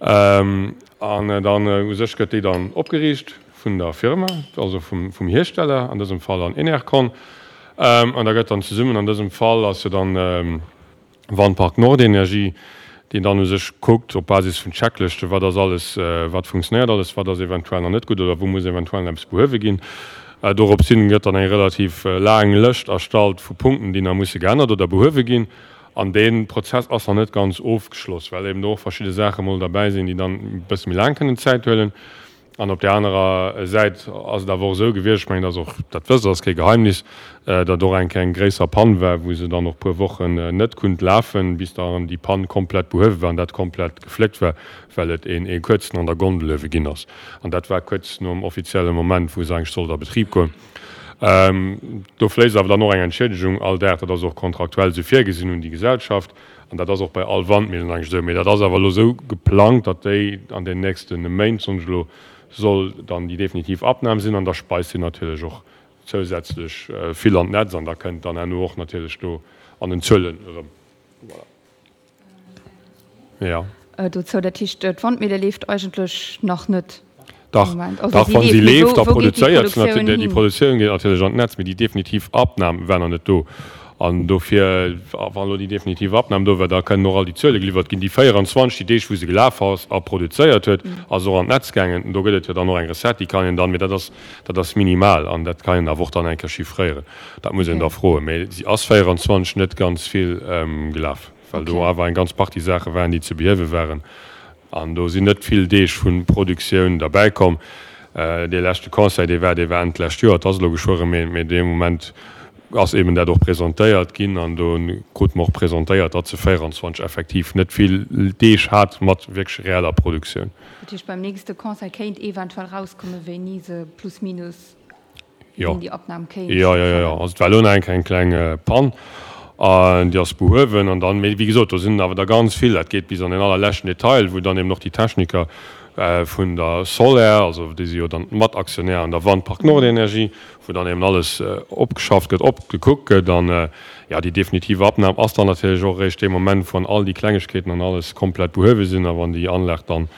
Speaker 1: An dann u sech gëtt déi dann opgeriicht. vun der Firma, also vum Hiersteller, an dësem Fall an Enercon. An da gëtt dann zesummen, an dësem Fall ass jo dann Wandpark Nordenergie, deen dann u sech kuckt op Basis vun Checklëschten, wat ass alles, wat funktionéiert alles, wat ass eventuell nach net gutt oder wou muss eventuell nach eppes behuewe ginn. Dorops hin gëtt dann eng relativ laang Lëscht erstallt vu Punkten, déi nach musse geännert oder behuewe ginn. An dee Prozess ass nach net ganz ofgeschloss, well eben do och verschidde Saache mol derbäi sinn, déi dann e bësse méi laang kënnen Zäit huelen. An op där anerer Säit ass et awer och esou gewiescht, ech mengen, dat ass och, dat wësst Der, ass kee Geheimnis, datt och eng kleng gréisser Pann war, wou se dann och puer Wochen net kunnt lafen, bis dann déi Pann komplett behuewe war an dat komplett gefléckt war, well et een ee kuerzen an der Gondel uewe ginn ass. An dat war kuerz nom offizielle Moment, wou se eigentlech sollt a Betrib goen. Do fléisst awer dann och eng Entschiedegung all Dag, dat ass och kontraktuell esou virgesinn, un déi Gesellschaft. An dat ass och bei all Wandmillen eigentlech esou. Mee dat ass awer elo esou geplangt, datt déi an den nächste Méint, soen ech elo, soll dann déi definitiv Abnam sinn. An da speist si natierlech och zousätzlech vill an d'Netz an da kënnt dann herno och natierlech do an den Zuelen erëm. Voilà. Jo.
Speaker 2: Dozou, dat heescht, d'Wandmille leeft eigentlech nach net?
Speaker 1: Dach, dach, wa si leeft, da produzéiert se natierlech. Déi Produktioun geet natierlech an d'Netz, mee déi definitiv Abnam war nach net do. An dofir, wann elo déi definitiv Abnam do war, da kënnen och all déi Zuele geliwwert ginn. Déi 24, déi Deeg, wou se gelaf ass a produzéiert huet, ass och an d'Netz gaangen. Do gëtt et jo dann och eng Recette, déi kann een dann, mee dat ass, dat ass minimal an dat kann een awer och dann eng Kéier chiffréieren. Dat muss een da froen. Mee si ass 24 net ganz vill gelaf, well do awer eng ganz Partie Saache waren, déi ze behiewe waren. An do sinn net vill Deeg vu Produktioun derbäi komm. Dee leschte Conseil, dee war, dee war Enn d'lescht Joer, et ass elo geschwë erëm een, mee dee Moment ass eeben dat och presentéiert ginn an do krute mer och presentéiert, datt se 24 effektiv net vill Deeg hat mat wierklech reeller Produktioun.
Speaker 2: Dat heescht, beim nächste Conseil kéint eventuell erauskomme wéini se plus minus
Speaker 1: Jo, jo, jo, jo. Also et war elo nach eng kleng, kleng Pann an déi ass behuewen. An dann, mee wéi gesot, do sinn awer der ganz vill, dat geet bis an den allerleschten Detail, wou dann eben och déi Techniker vun der Soler, also déi si jo dann Mataktionär an der Wandpark Nordenergie, wou dann eben alles opgeschafft gëtt, opgekuckt gëtt. An jo, déi definitiv Abnam ass dann natierlech och eréischt dee Moment, wann all déi Klengegkeeten an alles komplett behuewe sinn a wann déi Anlag dann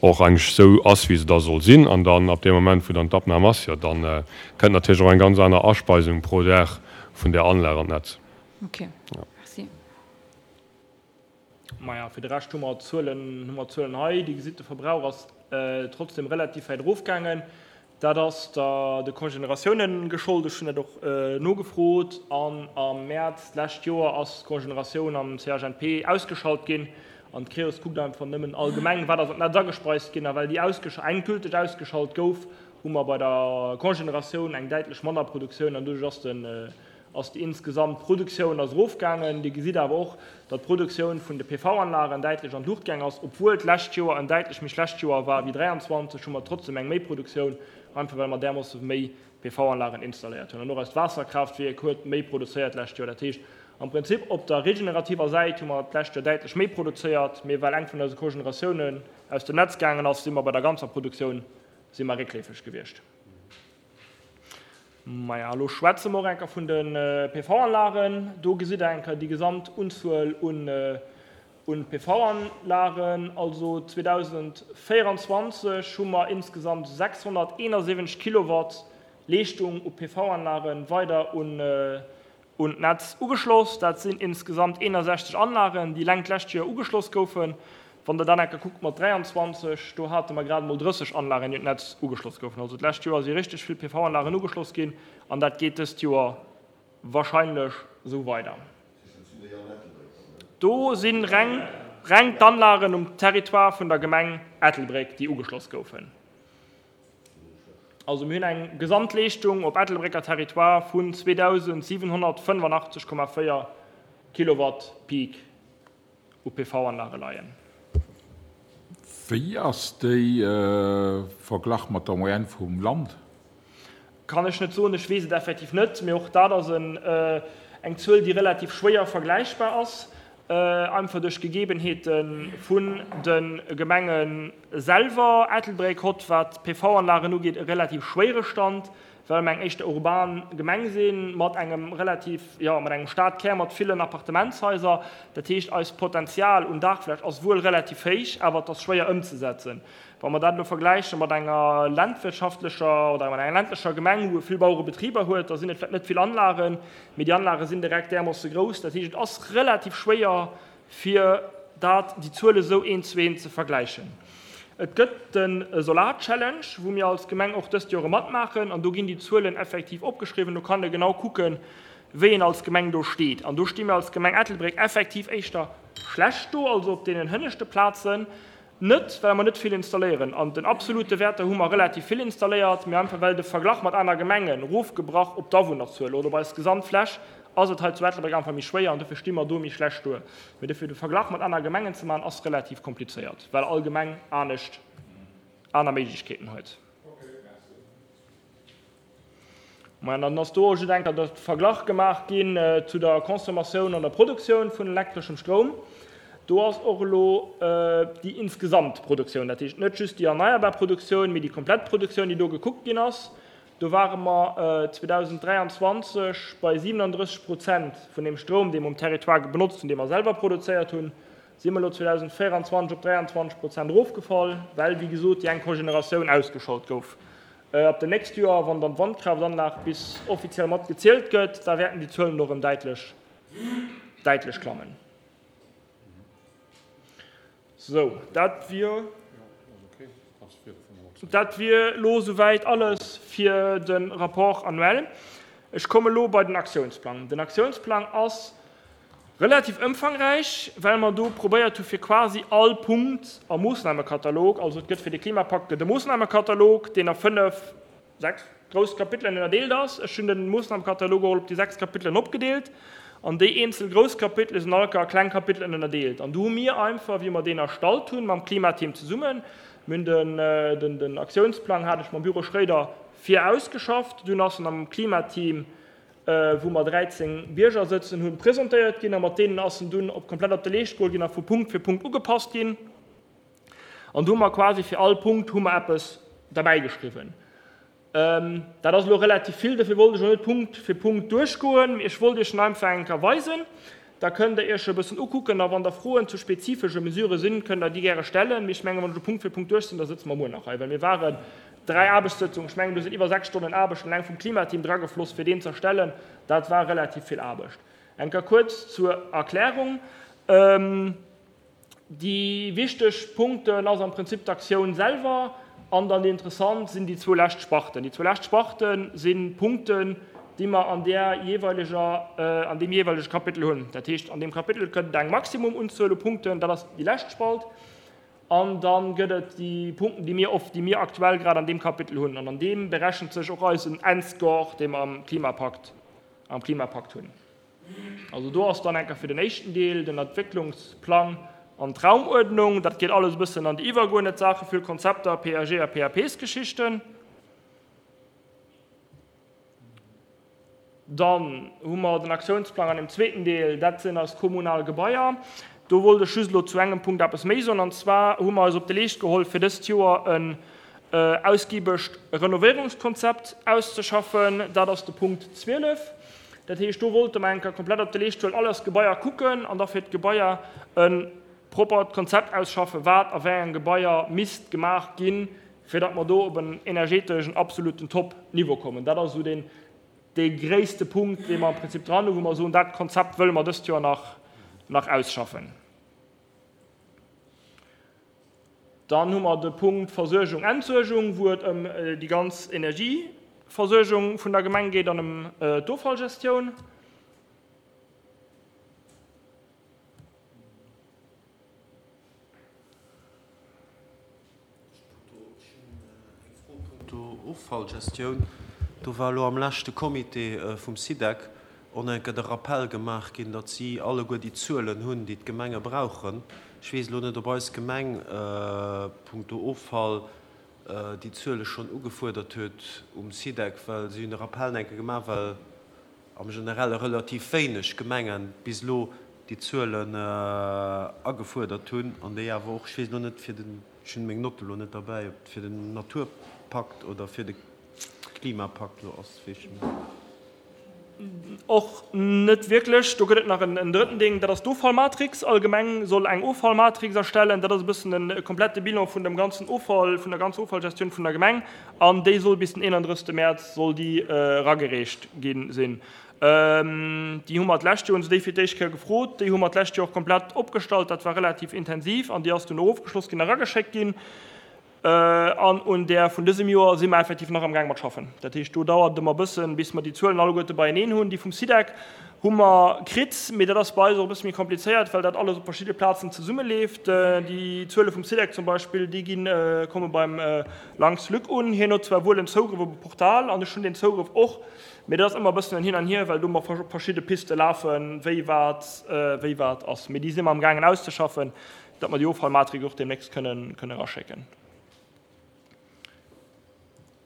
Speaker 1: och eigentlech esou ass, wéi se da soll sinn. An dann ab deem Moment, wou dann d'Abnam ass, jo, da kënnt natierlech och eng ganz aner Aspeisung pro Dag vun där Anlag an d'Netz.
Speaker 2: Ok, merci.
Speaker 4: Maja, fir de Rescht hu mer d'Zuelen, hu mer d'Zuelen hei. Dir gesitt, de Verbrauch ass trotzdem relativ wäit erofgaangen. Dat ass der de Congénératiounen geschollt. Ech hunn dat och nogefrot. An am Mäerz d'lescht Joer ass d'Congénératioun am CHNP ausgeschalt ginn. An d'Creos kuckt einfach nëmmen allgemeng, wat ass an d'Netz agespeist ginn. A well déi endgülteg ausgeschalt gouf, hu mer bei der Congénératioun eng däitlech manner Produktioun. An doduerch ass den ass déi insgesamt Produktioun ass erofgaangen. Dir gesitt awer och, datt d'Produktioun vun de PV-Anlagen däitlech an d'Luucht gaang ass. Obwuel d'lescht Joer en däitlech méi schlecht Joer war wéi 23, hu mer trotzdem eng Méiproduktioun, einfach well mer därmoosse méi PV-Anlagen installéiert hunn. An och eist Waasserkraaftwierk huet méi produzéiert d'lescht Joer. Dat heescht am Prinzip, op der regenerativer Säit hu mer d'lescht Joer däitlech méi produzéiert, mee well eng vun eise Cogeneratiounen aus dem Netz gaangen ass, si mer bei der ganzer Produktioun si mer réckleefeg gewiescht. Maja, elo schwätze mer och eng Kéier vun de PV-Anlagen. Do gesitt Der eng Kéier déi gesamt Unzuel un PV-Anlagen. Also 2024 hu mer insgesamt 671 Kilowatt Leeschtung u PV-Anlage weider un Un d'Netz ugeschloss. Dat sinn insgesamt 61 Anlagen, déi eleng d'lescht Joer ugeschloss goufen. Wann Der dann enke kuckt mat 23, do hate mer grad emol 30 Anlagen, déi un d'Netz ugeschloss goufen. Also d'lescht Joer si richteg vill PV-Anlagen ugeschloss ginn an dat geet dëst Joer wahrscheinlech esou weider. Do si reng reng d'Anlagen um Territoire vun der Gemeng Ettelbréck, déi ugeschloss goufen. Also mir hunn eng Gesamtleeschtung op Ettelbrécker Territoire vun 2.785,4 Kilowatt Peak u PV-Anlage leien.
Speaker 8: Wéi ass déi verglach mat der Moyenne vum Land?
Speaker 4: Kann ech net soen, ech weess et effektiv net. Mee och dat ass eng Zuel, déi relativ schwéier vergläichbar ass. Einfach duerch d'Gegebenheete vun de Gemenge selwer. Ettelbréck hott, wat d'PV-Anlagen ugeet, e relativ schwéiere Stand. Well mer eng éischter urban Gemeng si mat engem relativ, jo, mat engem Stadkär mat villen Appartementshaiser. Dat heescht, eist Potenzial un Daachfläch ass wuel relativ héich, awer et ass schwéier ëmzesetzen. Wa mer dat elo vergläiche mat enger landwirtschaftlecher oder mat enger ländlecher Gemeng, wou e vill Bauerebetriber huet, da sinn et vläicht net vill Anlagen, mee déi Anlage sinn direkt därmoosse grouss. Dat heescht, et ass relativ schwéier, fir dat, déi Zuele sou eent zu eent ze vergläichen. Et gëtt de Solar Challenge, wou mir als Gemeng och dëst Joer matmaachen, an do ginn déi Zuelen effektiv opgeschriwwen. Do kann e genau kucken, wéi een als Gemeng do steet. An do sti mir als Gemeng Ettelbréck effektiv éischter schlecht do, also op deenen hënneschte Plazen. Net, well mer net vill installéieren. An den absolute Wäerter hu mer relativ vill installéiert, mee einfach well de Verglach mat aner Gemengen erofgebrach op d'Awunnerzuel oder op eis Gesamtfläch ass et hei zu Ettelbréck einfach méi schwéier an dofir sti mer do méi schlecht do. Mee dofir de Verglach mat aner Gemengen ze maachen ass relativ komplizéiert, well all Gemeng anescht aner Méiglechkeeten huet. Maja, dann ass do och just eng Kéier de Verglach gemaach ginn zu der Consommatioun an der Produktioun vun elektreschem Stroum. Do ass och elo déi insgesamt Produktioun, dat heescht net just déi erneierbar Produktioun, mee déi komplett Produktioun, déi do gekuckt ginn ass. Do ware mer 2023 bei 37 Prozent vun deem Stroum, dee mer um Territoire benotzt hunn, dee mer selwer produzéiert hunn, si mer elo 2024 op 23 Prozent erofgefall, well, wéi gesot, déi eng Cogeneratioun ausgeschalt gouf. Ab dem nächste Joer, wann dann d'Wandkraftanlag bis offiziell mat gezielt gëtt, da wäerten déi Zuelen och erëm däitlech, däitlech klammen. Sou, dat wier, dat wier elo souwäit alles fir de Rapport annuel. Ech komme elo bei den Aktiounsplang. Den Aktiounsplang ass Relativ ëmfangräich, well mer do probéiert hu fir quasi all Punkt am Moossnamekatalog, also et gëtt fir de Klimapakt gëtt e Moossnamekatalog, deen a fënnef, sechs grouss Kapitelen ënnerdeelt ass. Ech hunn de Moossnamekatalog och op déi sechs Kapitelen opgedeelt an déi eenzel grouss Kapitele sinn all a kleng Kapitelen ënnerdeelt. An do hu mir einfach, wéi mer deen erstallt hunn, mam Klimateam zesummen, mir hunn den, den Aktiounsplang hat ech mam Büro Schréider vir ausgeschafft, dunn ass en am Klimateam wou mer 13 Bierger sëtzen hunn, presentéiert ginn a mat deenen ass en dunn op komplett op de Leescht geholl ginn a vu Punkt fir Punkt ugepasst ginn. An do hu mer quasi fir all Punkt hu mer eppes derbäi geschriwwen. Dat ass elo relativ vill, dofir wollt ech elo net Punkt fir Punkt duerchgoen, mee ech wollt Iech en einfach eng Kéier weisen. Da kënnt Der Iech e bëssen ukucken a wann der Froen zu spezifesche Mesurë sinn, kënnt Der déi gäre stellen. Mee ech mengen, wann ech elo Punkt fir Punkt duerch sinn, da sëtze mer muer nach hei, well mir waren dräi Aarbechtssëtzungen, ech mengen, do sinn iwwer 6 Stonnen Aarbecht eleng vum Klimateam dragefloss, fir deen ze erstellen. Dat war relativ vill Aarbecht. Eng Kéier kuerz zur Erklärung. Déi wichteg Punkten ass am Prinzip d'Aktioun selwer an dann déi interessant sinn déi zwou lescht Sparten. Déi zwou lescht Sparte si Punkten, déi mer an där jeeweileger, an deem jeeweilege Kapitel hunn. Dat heescht, an deem Kapitel gëtt et eng Maximumunzuel u Punkten, dat ass déi lescht Spalt. An da gëtt et déi Punkten, déi mir oft, déi mir aktuell grad an deem Kapitel hunn. An an deem berechent sech och eisen Endscore, dee mer am Klimapakt, am Klimapakt hunn. Also do ass dann enker fir den éischten Deel den Entwécklungsplang an d'Raumuerdnung. Dat geet alles e bëssen an déi iwwergeuerdnet Saache, vill Konzepter, PAG a PAPs-Geschichten. Dann hu mer den Aktiounsplang an dem zweeten Deel, dat sinn eis kommunal Gebaier. Do wollt ech just elo zu engem Punkt eppes méi soen, an zwar hu mer eis op de Leescht geholl, fir dëst Joer en ausgibegt Renovéierungskonzept auszeschaffen. Dat ass de Punkt 12. Dat heescht, do wollte mer eng Kéier komplett op de Leescht huelen, all eis Gebaier kucken an da fir d'Gebaier e proppert Konzept ausschaffen, wat a wéi engem Gebaier misst gemaach ginn, fir datt mer do op en energeteschen absoluten Top-Niveau kommen. Dat ass esou deen, dee gréisste Punkt, dee mer am Prinzip dran hunn, wou mer soen, dat Konzept wëlle mer dëst Joer nach, nach ausschaffen. Dann hu mer de Punkt Versuergung, Entsuergung, wou et ëm déi ganz Energieversuergung vun der Gemeng geet an ëm d'Offallgestioun.
Speaker 7: Ech hunn eng Fro punkto Offallgestioun. Do war elo am leschte Comité vum SIDEC och eng Kéier de Rappell gemaach ginn, datt si alleguer déi Zuelen hunn, déi d'Gemenge brauchen. Ech weess elo net, ob eis Gemeng punkto Offall déi Zuele schonn ugefuerdert huet um SIDEC, well si hunn de Rappell eng Kéier gemaach, well am Generelle relativ wéineg Gemengen bis elo déi Zuelen agefuerdert hunn an déi awer och, ech weess elo net fir den, ech hunn meng Notte elo net derbäi, ob fir den Naturpakt oder fir de. Klimapakt elo ass, weess ech net.
Speaker 4: Och net wierklech. Do gëtt et nach en drëtten Ding, dat ass d'Offallmatrix. All Gemeng soll eng Offallmatrix erstellen. Dat ass e bëssen e komplette Bilan vun dem ganzen Offall, vun der ganzer Offallgestioun vun der Gemeng. An déi soll bis den 31. Mäerz soll déi eragereecht gi sinn. Déi hu mer d'lescht Joer, hunn se déi fir d'éischt Kéier gefrot. Déi hu mer d'lescht Joer och komplett opgestallt. Dat war relativ intensiv an déi ass dunn och ofgeschloss ginn, erageschéckt ginn. An un där vun dësem Joer si mer effektiv nach amgaang mat schaffen. Dat heescht, do dauert et ëmmer e bëssen, bis mer déi Zuelen alleguerte beieneen hunn. Déi vum SIDEC hu mer kritt, mee dat ass bei eis och e bësse méi komplizéiert, well dat alles op verschidde Plazen zesummeleeft. Déi Zuele vum SIDEC zum Beispill, déi ginn, komme beim Lanx Luc un. Hien huet zwar wuel en Zougrëff op e Portal, an ech hunn deen Zougrëff och, mee dat ass ëmmer e bëssen en Hin an Hier, well do mer op verschidde Piste lafen, wéi wat, wéi wat ass. Mee déi si mer amgaangen auszeschaffen. Datt mer déi Offallmatrix och deemnächst kënnen eraschécken.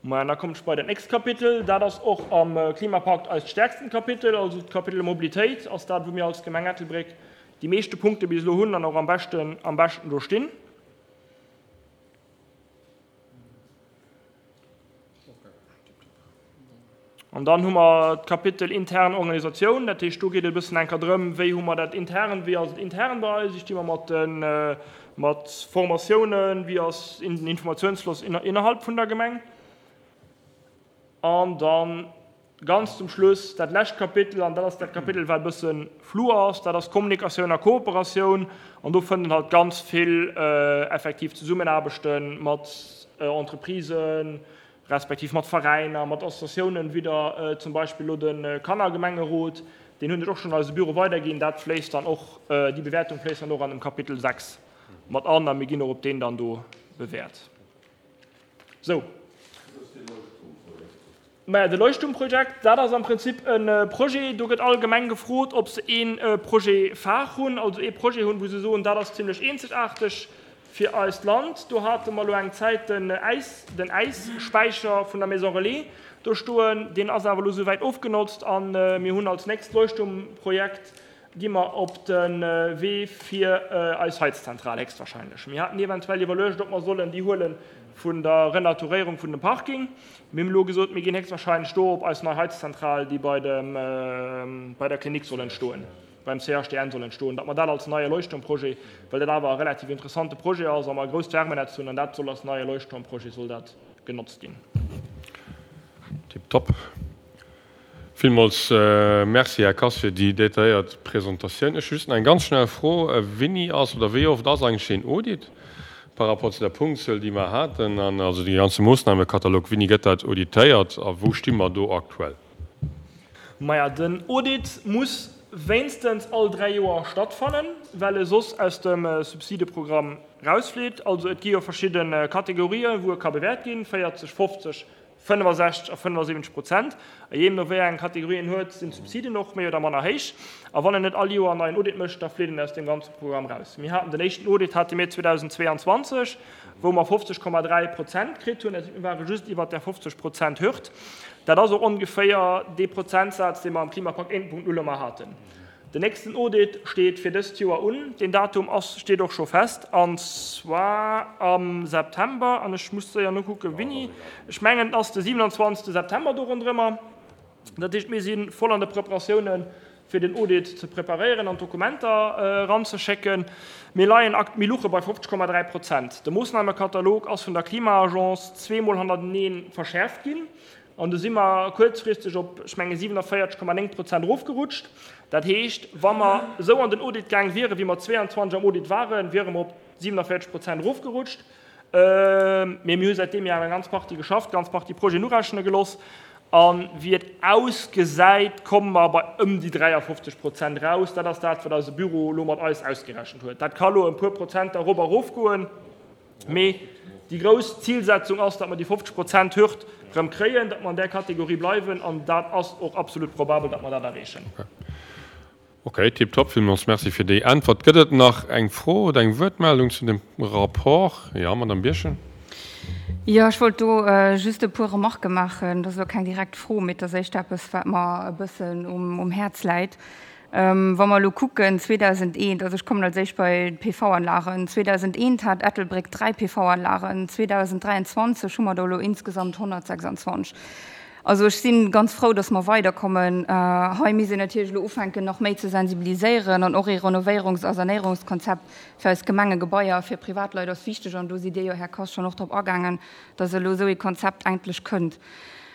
Speaker 4: Maja, da kommt ech bei dat nächst Kapitel. Dat ass och am Klimapakt eist stäerksten Kapitel, also d'Kapitel Mobilitéit ass dat, wou mir als Gemeng Ettelbréck déi meeschte Punkte bis elo hunn an och am beschten, am beschten do stinn. An dann hu mer d'Kapitel intern Organisatioun, dat heescht, do geet et e bëssen enker drëm, wéi hu mer dat intern, wéi ass et intern bei eis, wéi sti mer mat de mat Formatiounen, wéi ass den Informatiounsfloss innerhalb vun der Gemeng. An dann Ganz zum Schluss dat lescht Kapitel, an dat ass dat Kapitel, wat e bësse flou ass, dat ass Kommunikatioun a Kooperatioun. An do fënnt een halt ganz vill effektiv Zesummenaarbechte mat Entreprisen, respektiv mat Veräiner, mat Associatiounen, wéi der zum Beispill elo de Kannergemengerot, deen hunn ech och schonn an eise Büro weiderginn. Dat fléisst dann och, déi Bewäertung fléisst dann och an dem Kapitel 6 mat an a mir ginn och op deen dann do bewäert. Sou. Maja, de Leuchtturmprojekt, dat ass am Prinzip e Projet, do gëtt all Gemeng gefrot, ob se ee Projet phare hunn, also ee Projet hunn, wou se soen, dat ass zimlech eenzegaarteg fir eist Land. Do hate mer elo eng Zäit den Äis, den Äisspäicher vun der Maison Relais do stoen, deen ass awer elo souwäit ofgenotzt a mir hunn als nächst Leuchtturmprojekt gi mer op de Wee fir eis Heizzentral héchstwahrscheinlech. Mir haten eventuell iwwerluecht, ob mer sollen déi huele vun der Renaturéierung vun dem Parking. Mir hunn elo gesot, mir ginn héchstwahrscheinlech do op eis nei Heizzentral, déi bei dem, bei der Klinik soll entstoen, beim CHDN soll entstoen, datt mer dat als neie Leuchtturmprojet, well dat awer e relativ interessante Projet ass a mer e grousst Wärmenetz hunn, an dat soll als neie Leuchtturmprojet soll dat genotzt ginn.
Speaker 1: Tiptop. Villmools Merci, Här Kass, fir déi detailléiert Presentatioun. Ech hu just nach eng ganz schnell Fro, Wéini ass oder wéi oft ass eigentlech deen Audit par rapport zu der Punktzuel, déi mer haten, an also dee ganze Moossnamekatalog, wéini gëtt dat auditéiert a wou sti mer do aktuell?
Speaker 4: Maja, den Audit muss wéinstens all 3 Joer stattfannen, well e soss aus dem Subsideprogramm rausflitt. Also et gi jo verschidde Kategorien, wou e ka bewäert ginn, 40, 50, 65 a 75 Prozent. A jeemno wéi eng Kategorie een huet, sinn d'Subsiden och méi oder manner héich. A wann een net all Joer en neien Audit mécht, da flitt een aus deem ganze Programm raus. Mir haten den éischten Audit hate mir 2022, wou mer 50,3 Prozent kritt hunn. Dat heescht, mir ware just iwwert där 50 Prozent Hürd. Dat ass och ongeféier dee Prozentsaz, dee mer am Klimapakt 1.0 ëmmer haten. Den nächsten Audit steet fir dëst Joer un. Deen Datum ass, steet och scho fest, an zwar am September. An ech muss séier nokucken, wéini. Ech mengen, et ass de 27. September do ronderëmmer. Dat heescht, mir si voll an de Preparatiounen, fir den Audit ze preparéieren an d'Dokumenter eranzeschécken. Mir leien akt, mir luche bei 50,3 Prozent. De Moossnamekatalog ass vun der Klima-Agence zweemol hannertenee verschäerft ginn. An do si mer kuerzfristeg op, ech menge 47,9 Prozent erofgerutscht. Dat heescht, wa mer esou an den Audit gaang wieren, wéi mer 22 am Audit waren, wiere mer op 47 Prozent erofgerutscht. Mee mir hu säit deem Joer eng ganz Partie geschafft, ganz Partie Projeten urechne geloss. A wéi et ausgesäit, komme mer bei ëm déi 53 Prozent eraus. Dat ass dat, wat eise Büro elo mat eis ausgerechent huet. Dat ka elo ëm puer Prozenter erop a erofgoen. Mee déi grouss Zilsetzung ass, datt mer déi 50 Prozent Hürd erëm kréien, datt mer an där Kategorie bleiwen. An dat ass och absolut probabel, datt mer dat erreechen.
Speaker 1: Ok, tiptop. Villmools Merci fir déi Äntwert. Gëtt et nach eng Fro oder eng Wuertmeldung zu dem Rapport? Jo, Madamm Birchen.
Speaker 2: Jo, ech wollt do just e puer Remarquë maachen. Dat ass elo keng direkt Fro, mee et ass éischter eppes, wat mer e bëssen um Häerz läit. Wa mer elo kucken, 2001, also ech kommen als éischt bei d'PV-Anlagen, 2001 hat Ettelbréck 3 PV-Anlagen, 2023 hu mer der elo insgesamt 126. Also ech si ganz frou, dass mer weiderkommen. Hei misst een natierlech elo ufänken, nach méi ze sensibiliséieren an och ee Renovéierungs a Sanéierungskonzept fir eis Gemengegebaier a fir Privatleit ass wichteg. An do sidd Dir jo, Här Kass, schonn och drop agaangen, dass elo esou ee Konzept endlech kënnt.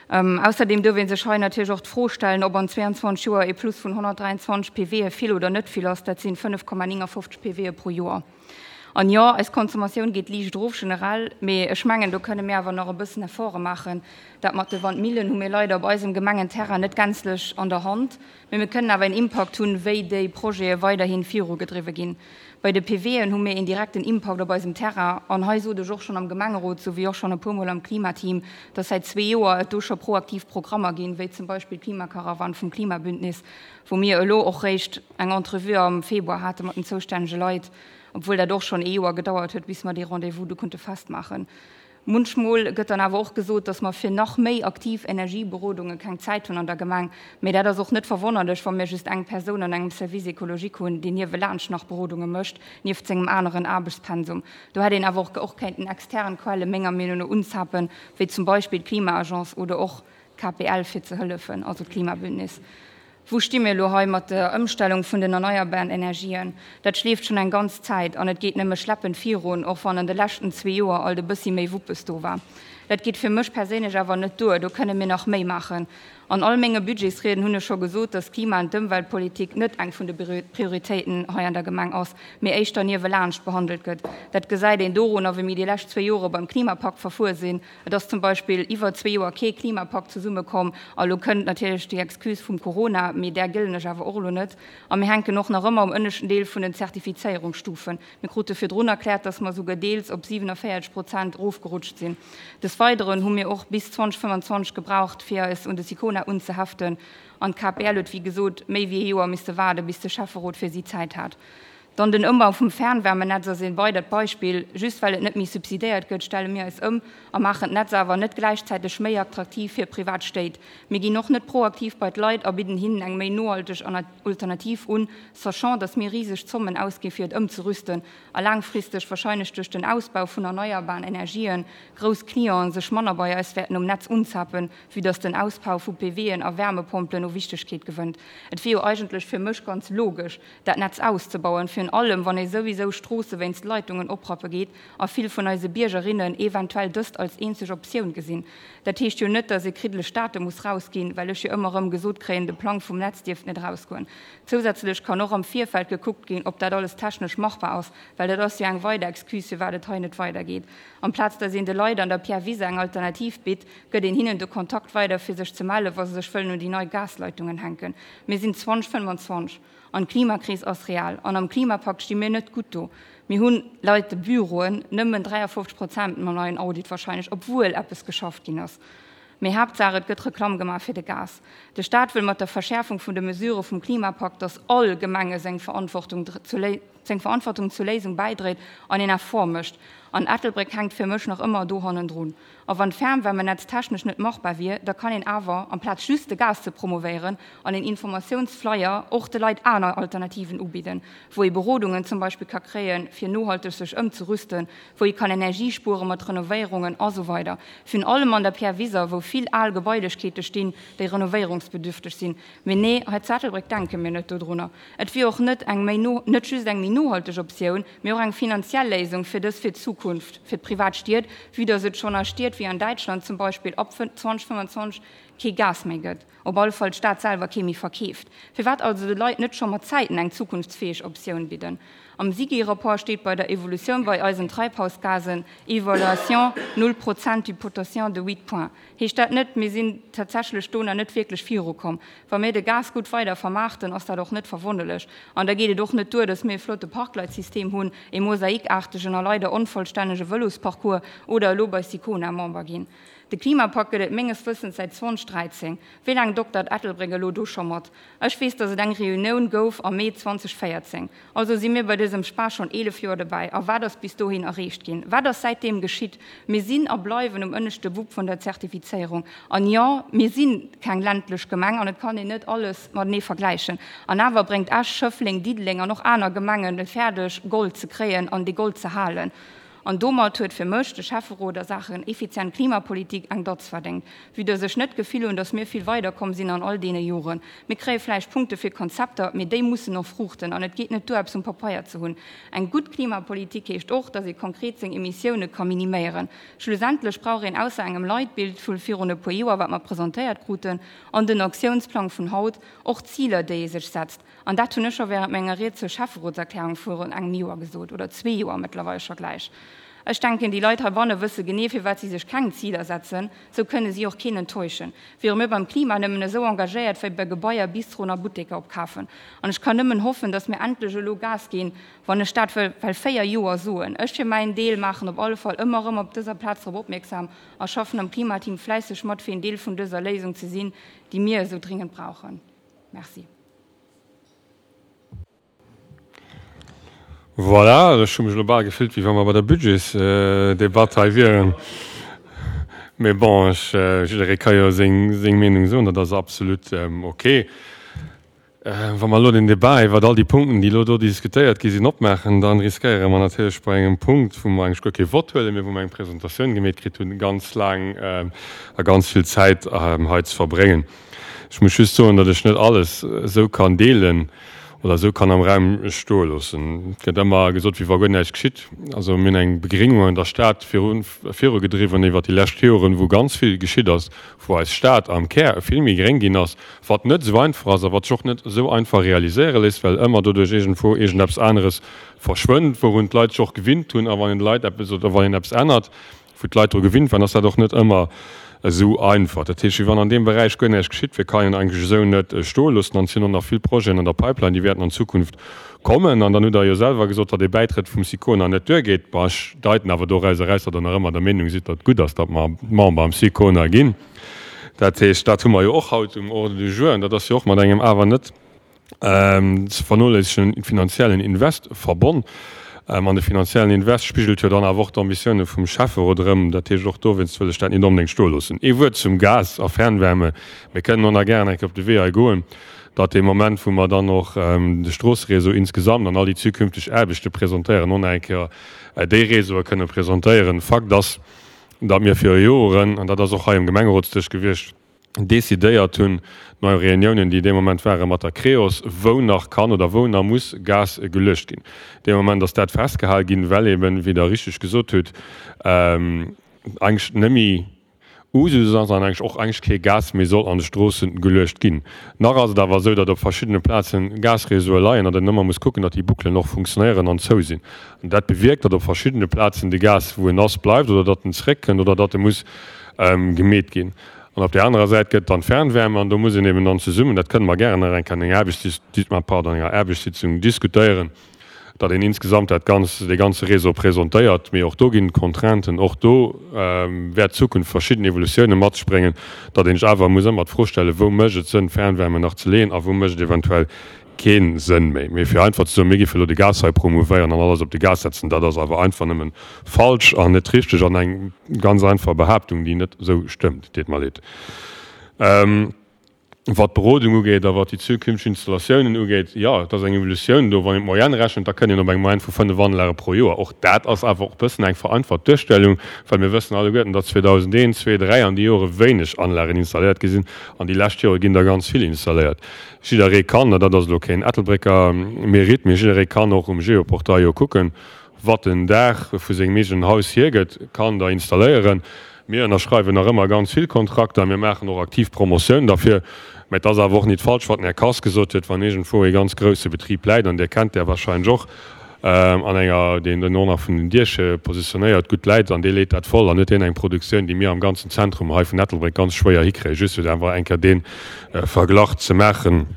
Speaker 2: Ausserdeem duerf ee sech hei natierlech och d'Fro stellen, ob an 22 Joer ee Plus vun 123 PWe vill oder net vill ass. Dat sinn 5,59 PWe pro Joer. An jo, eis Consommatioun geet liicht erof generell, mee ech mengen, do kënne mir awer nach e bëssen Efforte maachen. Dat mat de Wandmillen hu mir leider op eisem Gemengenterrain net gänzlech an der Hand, mee mir kënnen awer een Impakt hunn, wéi déi Projete weiderhi virugedriwwe ginn. Bei de PWen hu mir een direkten Impakt op eisem Terrain. An hei sot ech och schonn am Gemengerot, sou wéi och schonn e puermol am Klimateam, dass säit zwee Joer et do scho proaktiv Programmer ginn, wéi zum Beispill d'Klimakarawann vum Klimabündnis, wou mir elo och réischt eng Entrevue am Februar hate mat den zoustännege Leit, obwuel dat och schonn ee Joer gedauert huet, bis mer dee Rendez-vous du konnte festmaachen. Munchmol gëtt dann awer och gesot, dass mer fir nach méi aktiv Energieberodunge keng Zäit hunn an der Gemeng. Mee dat ass och net verwonnerlech, wa mir just eng Persoun an engem Service écologique hunn, deen niewelaanscht nach Berodunge mécht, nieft sengem aneren Aarbechtspensum. Do hätt een awer och och kéinten extern Quelle menger Meenung no unzapen, wéi zum Beispill d'Klima-Agence oder och KPL fir ze hëllefen, also d'Klimabündnis. Wou sti mir elo hei mat der Ëmstellung vun den erneierbaren Energien? Dat schleeft schonn eng ganz Zäit an et geet nëmme schleppend virun, och wann an de leschten zwee Joer alt e bëssi méi Wuppes do war. Dat geet fir mech perséinlech awer net duer, do kënne mir nach méi maachen. An all menge Budgetsrieden hunn ech scho gesot, dass d'Klima an d'Ëmweltpolitik net eng vun de Prioritéiten hei an der Gemeng ass, mee éischter niewelaanscht behandelt gëtt. Dat gesäit een dorunner, wéi mir déi lescht zwee Jore beim Klimapakt verfuer sinn, Et ass zum Beispill iwwer zwee Joer kee Klimapakt zesummekomm. A lo kënnt natierlech déi Excuse vum Corona, mee där gëllen ech awer och elo net. A mir hänken och nach ëmmer um ënneschten Deel vun den Zertifizéierungsstufen. Mir krute virdrun erkläert, dass mer esouguer deels op 47 Prozent erofgerutscht sinn. Des Weideren hu mir och bis 2025 gebraucht, fir eis un de Sicona unzeheften. An d'KPL huet, wéi gesot, méi wéi ee Joer misste waarden, bis de Schäfferot fir si Zäit hat. Dann den Ëmbau vum Fernwärmenetz ass ee weidert Beispill. Just well et net méi subsidéiert gëtt, stelle mir eis ëm a maachen d'Netz awer net gläichzäiteg méi attraktiv fir privat Stéit. Mir ginn och net proaktiv bei d'Leit a bidden hinnen eng méi nohalteg Alternativ un, sachant dass mir riseg Zommen ausgi fir et ëmzerüsten a laangfristeg wahrscheinlech duerch den Ausbau vun erneierbaren Energien grouss Clienten sech manner bei eis wäerten um Netz unzapen, vue dass den Ausbau vu PWen a Wärmepompelen u Wichtegkeet gewënnt. Et wier jo eigentlech fir mech ganz logesch, dat Netz auszebauen, virun allem wann ee souwisou Stroosse wéinst Leitungen oprappe geet a vill vun eise Biergerinnen eventuell dëst als eenzeg Optioun gesinn. Dat heescht jo net, dass ee kriddeleg Date muss rausginn, well ech jo ëmmer erëm gesot kréien, de Plang vum Netz dierft net erausgoen. Zousätzlech kann och am Virfeld gekuckt ginn, ob dat alles technesch machbar ass, well dat ass jo eng weider Excuse, firwat et hei net weidergeet. Amplaz dass een de Leit an der Pierre Wise eng Alternativ bitt, gëtt een hinnen de Kontakt weider, fir sech ze mellen, wa se sech wëllen un déi nei Gasleitungen hänken. Mir sinn 2025. An d'Klimakris ass real. An am Klimapakt sti mir net gutt do. Mir hunn, leit de Büroen, nëmmen 53 Prozent mam neien Audit wahrscheinlech, obwuel eppes geschafft ginn ass. Mee Haaptsaach, et gëtt Reklamm gemaach fir de Gas. De Staat wëll mat der Verschäerfung vun de Mesurë vum Klimapakt, datt all Gemenge seng Verantwortung seng Verantwortung zur Léisung bäidréit an een Effort mécht. An Ettelbréck hänkt fir mech nach ëmmer do hannendrun. A wann d'Fernwärmenetz technesch net machbar wier, da kann een awer, amplaz just de Gas ze promovéieren, an een Informatiounsflyer och de Leit aner Alternativen ubidden, wou ee Berodungen zum Beispill ka kréien, fir nohalteg sech ëmzerüsten, wou ee kann Energie spuere mat Renovéierungen a sou weider. Virun allem an der Pierre Wiser, wou vill al Gebailechkeete stinn, déi renovéierungsbedürfteg sinn. Mee nee, hei zu Ettelbréck denke mir net dodrunner. Et wier och net eng méi no, net just eng méi nohalteg Optioun, mee och eng finanziell Léisung fir dës fir d'Zukunft, fir d'privat Stied, vue dass et schonn a Stied wéi an Däitschland zum Beispill ab 2025 kee Gas méi gëtt, op alle Fall d'Stad selwer kee méi verkeeft. Firwat also de Leit net scho mat Zäiten eng zukunftsfäeg Optioun bidden? Am SIGI-Rapport steet bei der Evolutioun bei eisen Treibhausgasen, Evaluation null Prozent du potentiel de huit points. Heescht dat net, mir sinn tatsächlech do nach net wierklech virukomm. Wa mir de Gas gutt weider vermaarten, ass dat och net verwonnerlech. An da geet et och net duer, datt mir e flotte Parkleitsystem hunn, e mosaikaartegen a leider onvollstännege Vëlosparcours oder elo bei Sicona Member ginn. De Klimapakt gëtt et menges Wëssens säit 2013. Wéi laang doktert Ettelbréck elo do scho mat? Ech weess, datt et eng Reunioun gouf am Mee 2014. Also si mir bei dësem Spaass schonn 11 Joer dobäi. A wat ass bis dohin erreecht ginn? Wat ass säitdeem geschitt? Mir sinn a bleiwen um ënneschte Wupp vun der Zertifizéierung. An jo, mir si keng ländlech Gemeng an et kann een net alles matenee vergläichen. An awer bréngt Esch, Schëffleng, Diddeleng an och aner Gemengen et fäerdeg, Gold ze kréien an dee Gold ze halen. An domat huet fir mech de Schäfferot a Saachen effizient Klimapolitik eng Datz verdéngt. Vue dass ech net d'Gefill hunn, dass mir vill weiderkomm sinn an all deene Joren. Mir kréie vläicht Punkte fir Konzepter, mee déi mussen och fruuchten an et geet net duer, eppes um Papeier ze hunn. Eng gutt Klimapolitik heescht och, dass ee konkret seng Emissioune ka miniméieren. Schlussendlech brauch een ausser engem Leitbild vu virun e puer Joer, wat mer presentéiert kruten, an den Aktiounsplang vun haut, och Ziler, déi ee sech setzt. An dat hunn ech scho während menger Ried zur Schäfferotserklärung virun engem Joer gesot, oder zwee Joer mëttlerweil scho gläich. Ech denken, déi Leit heibanne wësse genee, firwat si sech keng Ziler setzen. Sou kënne si och keen enttäuschen. Wiere mir beim Klima nëmmen esou engagéiert wéi bei Gebaier, Bistroen a Butteker opkafen. An ech kann nëmmen hoffen, datt mir endlech elo Gas ginn, wann ech dat wëll well 4 Joer soen. Ech fir mäin Deel maachen op alle Fall ëmmer erëm op dëser Plaz drop opmierksam a schaffen am Klimateam fläisseg mat, fir een Deel vun dëser Léisung ze sinn, déi mir esou dringend brauchen. Merci.
Speaker 1: Voilà, ech hu mech elo bal gefillt, wéi wa mer bei der Budgetsdebatt hei wieren. Mee bon, ech, jidderee ka jo seng, seng Meenung soen, dat ass absolut ok. Wa mer elo den Debat iwwert all déi Punkten, déi elo do diskutéiert gi sinn, opmaachen, da riskéiere mer natierlech bei engem Punkt, wou mer eigentlech guer kee Vott huelen, mee wou mer eng Presentatioun gemeet kritt hunn, ganz laang a ganz vill Zäit hei ze verbréngen. Ech muss just soen, datt ech net alles esou kann deelen oder esou kann am Raum stoe loossen. Et gëtt ëmmer gesot, wéi wa guer näischt geschitt. Also mir hunn eng Begréngung an der Stad viru virugedriwwen iwwert déi lescht Joren, wou ganz vill geschitt ass, wou eis Stad am Kär vill méi gréng ginn ass, wat net esou einfach ass a wat sech och net esou einfach realiséiere léisst, well ëmmer doduerch iergendwou iergendeppes aneres verschwënnt, wourun d'Leit sech och gewinnt hunn. A wann een de Leit eppes oder wann een eppes ännert, Wou d'Leit dru gewinnt waren, ass dat och net ëmmer esou einfach. Dat heescht, wéi wann an deem Beräich guer näischt geschitt wier, kann een eigentlech esou net stoe loossen. An et sinn och nach vill Projeten an der Pipeline, déi wäerten an Zukunft kommen. An dann hutt Der jo selwer gesot, datt ee Bäitrëtt vum SICONA net duergeet. Bon, ech deiten awer doraus eraus, datt Der nach ëmmer der Meenung sidd, datt et gutt ass, datt mer Member am SICONA ginn. Dat heescht, dat hu mer jo och haut um Ordre du jour. An dat ass jo och mat engem awer net ze vernoléissegen finanziellen Invest verbonn. An de finanziellen Invest spigelt jo dann awer och d'Ambitioune vum Schäfferot erëm. Dat heescht, och dowéinst wëll ech dat nit onbedéngt stoe loossen. Ee Wuert zum Gas a Fernwärme. Mir kënnen och nach gären eng Kéier op de Wee hei goen, datt dee Moment, wou mer dann och de Stroosseréseau insgesamt an all déi zukünfteg Aarbechte presentéieren, och nach eng Kéier déi Réseaue kënne presentéieren. Fakt ass, datt mir viru Joren, an dat ass och hei um Gemengerotsdësch gewiescht, decidéiert hunn, no Reuniounen, déi dee Moment ware mat der Creos, wou nach kann oder wou nach muss Gas geluecht ginn. Dee Moment ass dat festgehal ginn, well eben, wéi Der richteg gesot hutt, eigentlech net méi Usus ass an eigentlech och eigentlech kee Gas méi soll an de Stroosse geluecht ginn. Nach ass et awer esou, datt op verschiddene Plaze Gasréseaue leien an een ëmmer muss kucken, datt déi Bouclen och funktionéieren an zou sinn. An dat bewierkt, datt op verschiddene Plazen de Gas, wou en ass, bleift oder datt en zeréckkënnt oder datt e muss gemeet ginn. An op där anerer Säit gëtt et dann d'Fernwärme an do muss een eben dann zesummen, dat kënne mer gären nach eng Kéier an enger Aarbechts, pardon, an enger Aarbechtssitzung diskutéieren, datt een insgesamt dat Ganz, dee ganze Réseau presentéiert. Mee och do ginn et Contrainten, och do wäert d'Zukunft verschidden Evolutiounen mat sech bréngen, datt een sech awer muss ëmmer d'Fro stellen, wou mécht et Sënn Fernwärme nach ze leeën a wou mécht et eventuell kee Sënn méi. Mee fir einfach ze soen, mir géife elo de Gas hei promouvéieren an alles op de Gas setzen, dat ass awer einfach nëmme falsch an net richteg an eng ganz einfach Behaaptung, déi net esou stëmmt. Deet mer leed. Wat d'Berodung ugeet a wat déi zukünfteg Installatiounen ugeet, jo, et ass eng Evolutioun do. Wann een d'Moyenne rechent, da kënnt een op eng Moyenne vu 5 Anlage pro Joer. Och dat ass awer och e bëssen eng vereinfacht Duerstellung, well mir wëssen alleguerten, datt 2001, 2, 3 an déi Jore wéineg Anlagen installéiert gi sinn an déi lescht Jore ginn der ganz vill installéiert. Jidderee kann, an dat ass elo keen Ettelbrécker Mérite, mee jidderee kann och um Geoportail jo kucken, wat den Daach vu sengem eegenen Haus hiergëtt, kann der installéieren. Mir ënnerschreiwen nach ëmmer ganz vill Kontrakter, mir maachen och aktiv Promotioun derfir. Mä et ass awer och nit falsch, wat den Här Kass gesot huet, wann iergendwou ee ganz grousse Betrib läit, an Dir kennt där wahrscheinlech och, an enger, deen den och nach vun den Dieche positionéiert gutt läit, an dee leet dat voll, dann huet hien eng Produktioun, déi mir am ganzen Zentrum hei vun Ettelbréck ganz schwéier hikréien, just fir einfach eng Kéier dee Verglach ze maachen,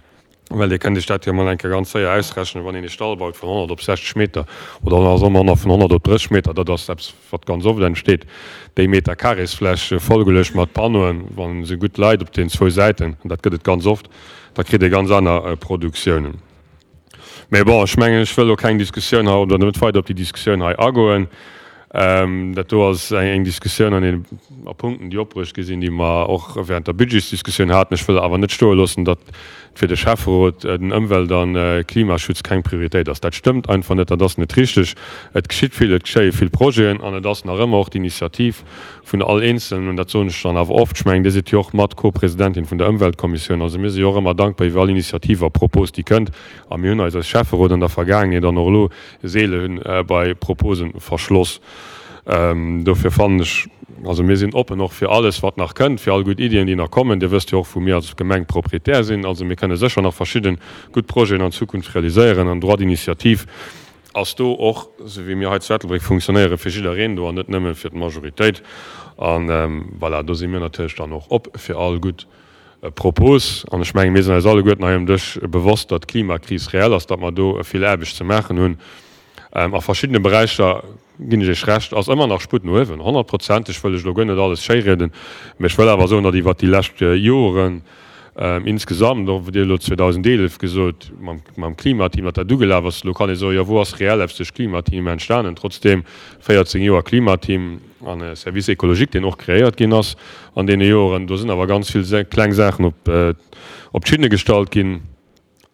Speaker 1: well Dir kënnt Iech dat jo emol eng Kéier ganz séier ausrechnen, wann een ee Stall baut vun 100 op 60 Meter oder nach manner vun 100 op 30 Meter, dat ass eppes, wat ganz oft entsteet, déi Meter Carrésfläch vollgeluecht mat Panneauen, wa se gutt leit op den zwou Säiten, an dat gëtt et ganz oft, da kritt ee ganz aner Produktiounen. Mä bon, ech mengen, ech wëll elo keng Diskussioun hei oder net weider op déi Diskussioun hei agoen. Dat do ass eng Diskussioun an een a Punkten, déi opbruecht gi sinn, déi mer och während der Budgetsdiskussioun haten. Ech wëll awer net stoe loossen, datt fir de Schäfferot den Ëmwelt a Klimaschutz keng Prioritéit ass. Dat stëmmt einfach net, dat ass net richteg. Et geschitt vill, et geschéie vill Projeten an et ass nach ëmmer och d'Initiativ vun all Eenzelnen, an dat soen ech dann awer oft, ech mengen, Dir sidd jo och mat Co-Presidentin vun der Ëmweltkommissioun, also mir si jo och ëmmer dankbar iwwer all Initiativ a Propos, déi kënnt. A mir hunn eis als Schäfferot an der Vergaangenheet an och elo seele bei Proposen verschloss. Dofir fannen ech, also mir sinn oppen och fir alles, wat nach kënnt, fir all gutt Iddien, déi nach kommen. Dir wësst jo och, wou mir als Gemeng Proprietär sinn. Also mir kënne sécher nach verschidde gutt Projeten an Zukunft realiséieren an Droit d'initiative ass do och, esou wéi mir hei zu Ettelbréck funktionéieren, fir jiddereen do an net nëmme fir d'Majoritéit. A voilà, do si mir natierlech dann och op fir all gutt Propos. An ech menge mir sinn eis alleguerten hei um Dësch bewosst, datt d'Klimakris reell ass, datt mer do vill Aarbecht ze maachen hunn. A verschiddene Beräicher, ginn ech Iech Recht, ass ëmmer nach Sputt no uewen, honnertprozenteg wëll ech elo guer net alles schéirieden, mä ech wëll awer soen, datt iwwert déi lescht Joren insgesamt, och Dir hutt elo 2011 gesot mam Klimateam, datt dat ugelaf ass, elo kann ee soen, jo wou ass reell eppes duerch d'Klimateam entstanen? Trotzdeem 14 Joer Klimateam an e Service écologique, deen och kreéiert ginn ass an deene Joren. Do sinn awer ganz vill kleng Saachen op d'Schinne gestallt ginn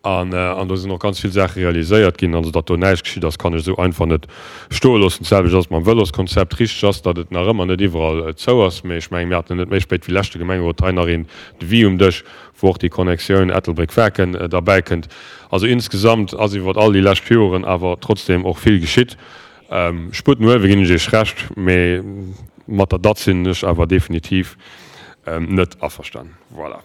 Speaker 1: an do sinn och ganz vill Saache realiséiert ginn. Also datt do näischt geschitt ass, kann ech esou einfach net stoe loossen. D'selwecht ass et mam Vëloskonzept. Richteg ass, datt et nach ëmmer net iwwerall zou ass, mee ech mengen, mir haten net méi spéit wéi leschte Gemengerot hei nach een Devis um Dësch, wou och déi Connexioun Ettelbréck-Waarken derbäikënnt. Also insgesamt ass iwwer all déi lescht Joren awer trotzdem och vill geschitt. Sputt no uewe ginn ech Iech Recht, mee mat der Datt sinn ech awer definitiv net averstanen. Voilà.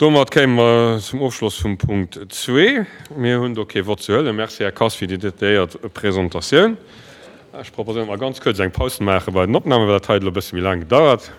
Speaker 1: Domat kéime mer zum Ofschloss vum Punkt zwee. Mir hunn do kee Vott ze huelen. Merci, Här Kass, fir déi detailléiert Presentatioun. Ech proposéieren, datt mer ganz kuerz eng Paus maache bei den Opnamen, well dat hei huet elo e bësse méi laang gedauert.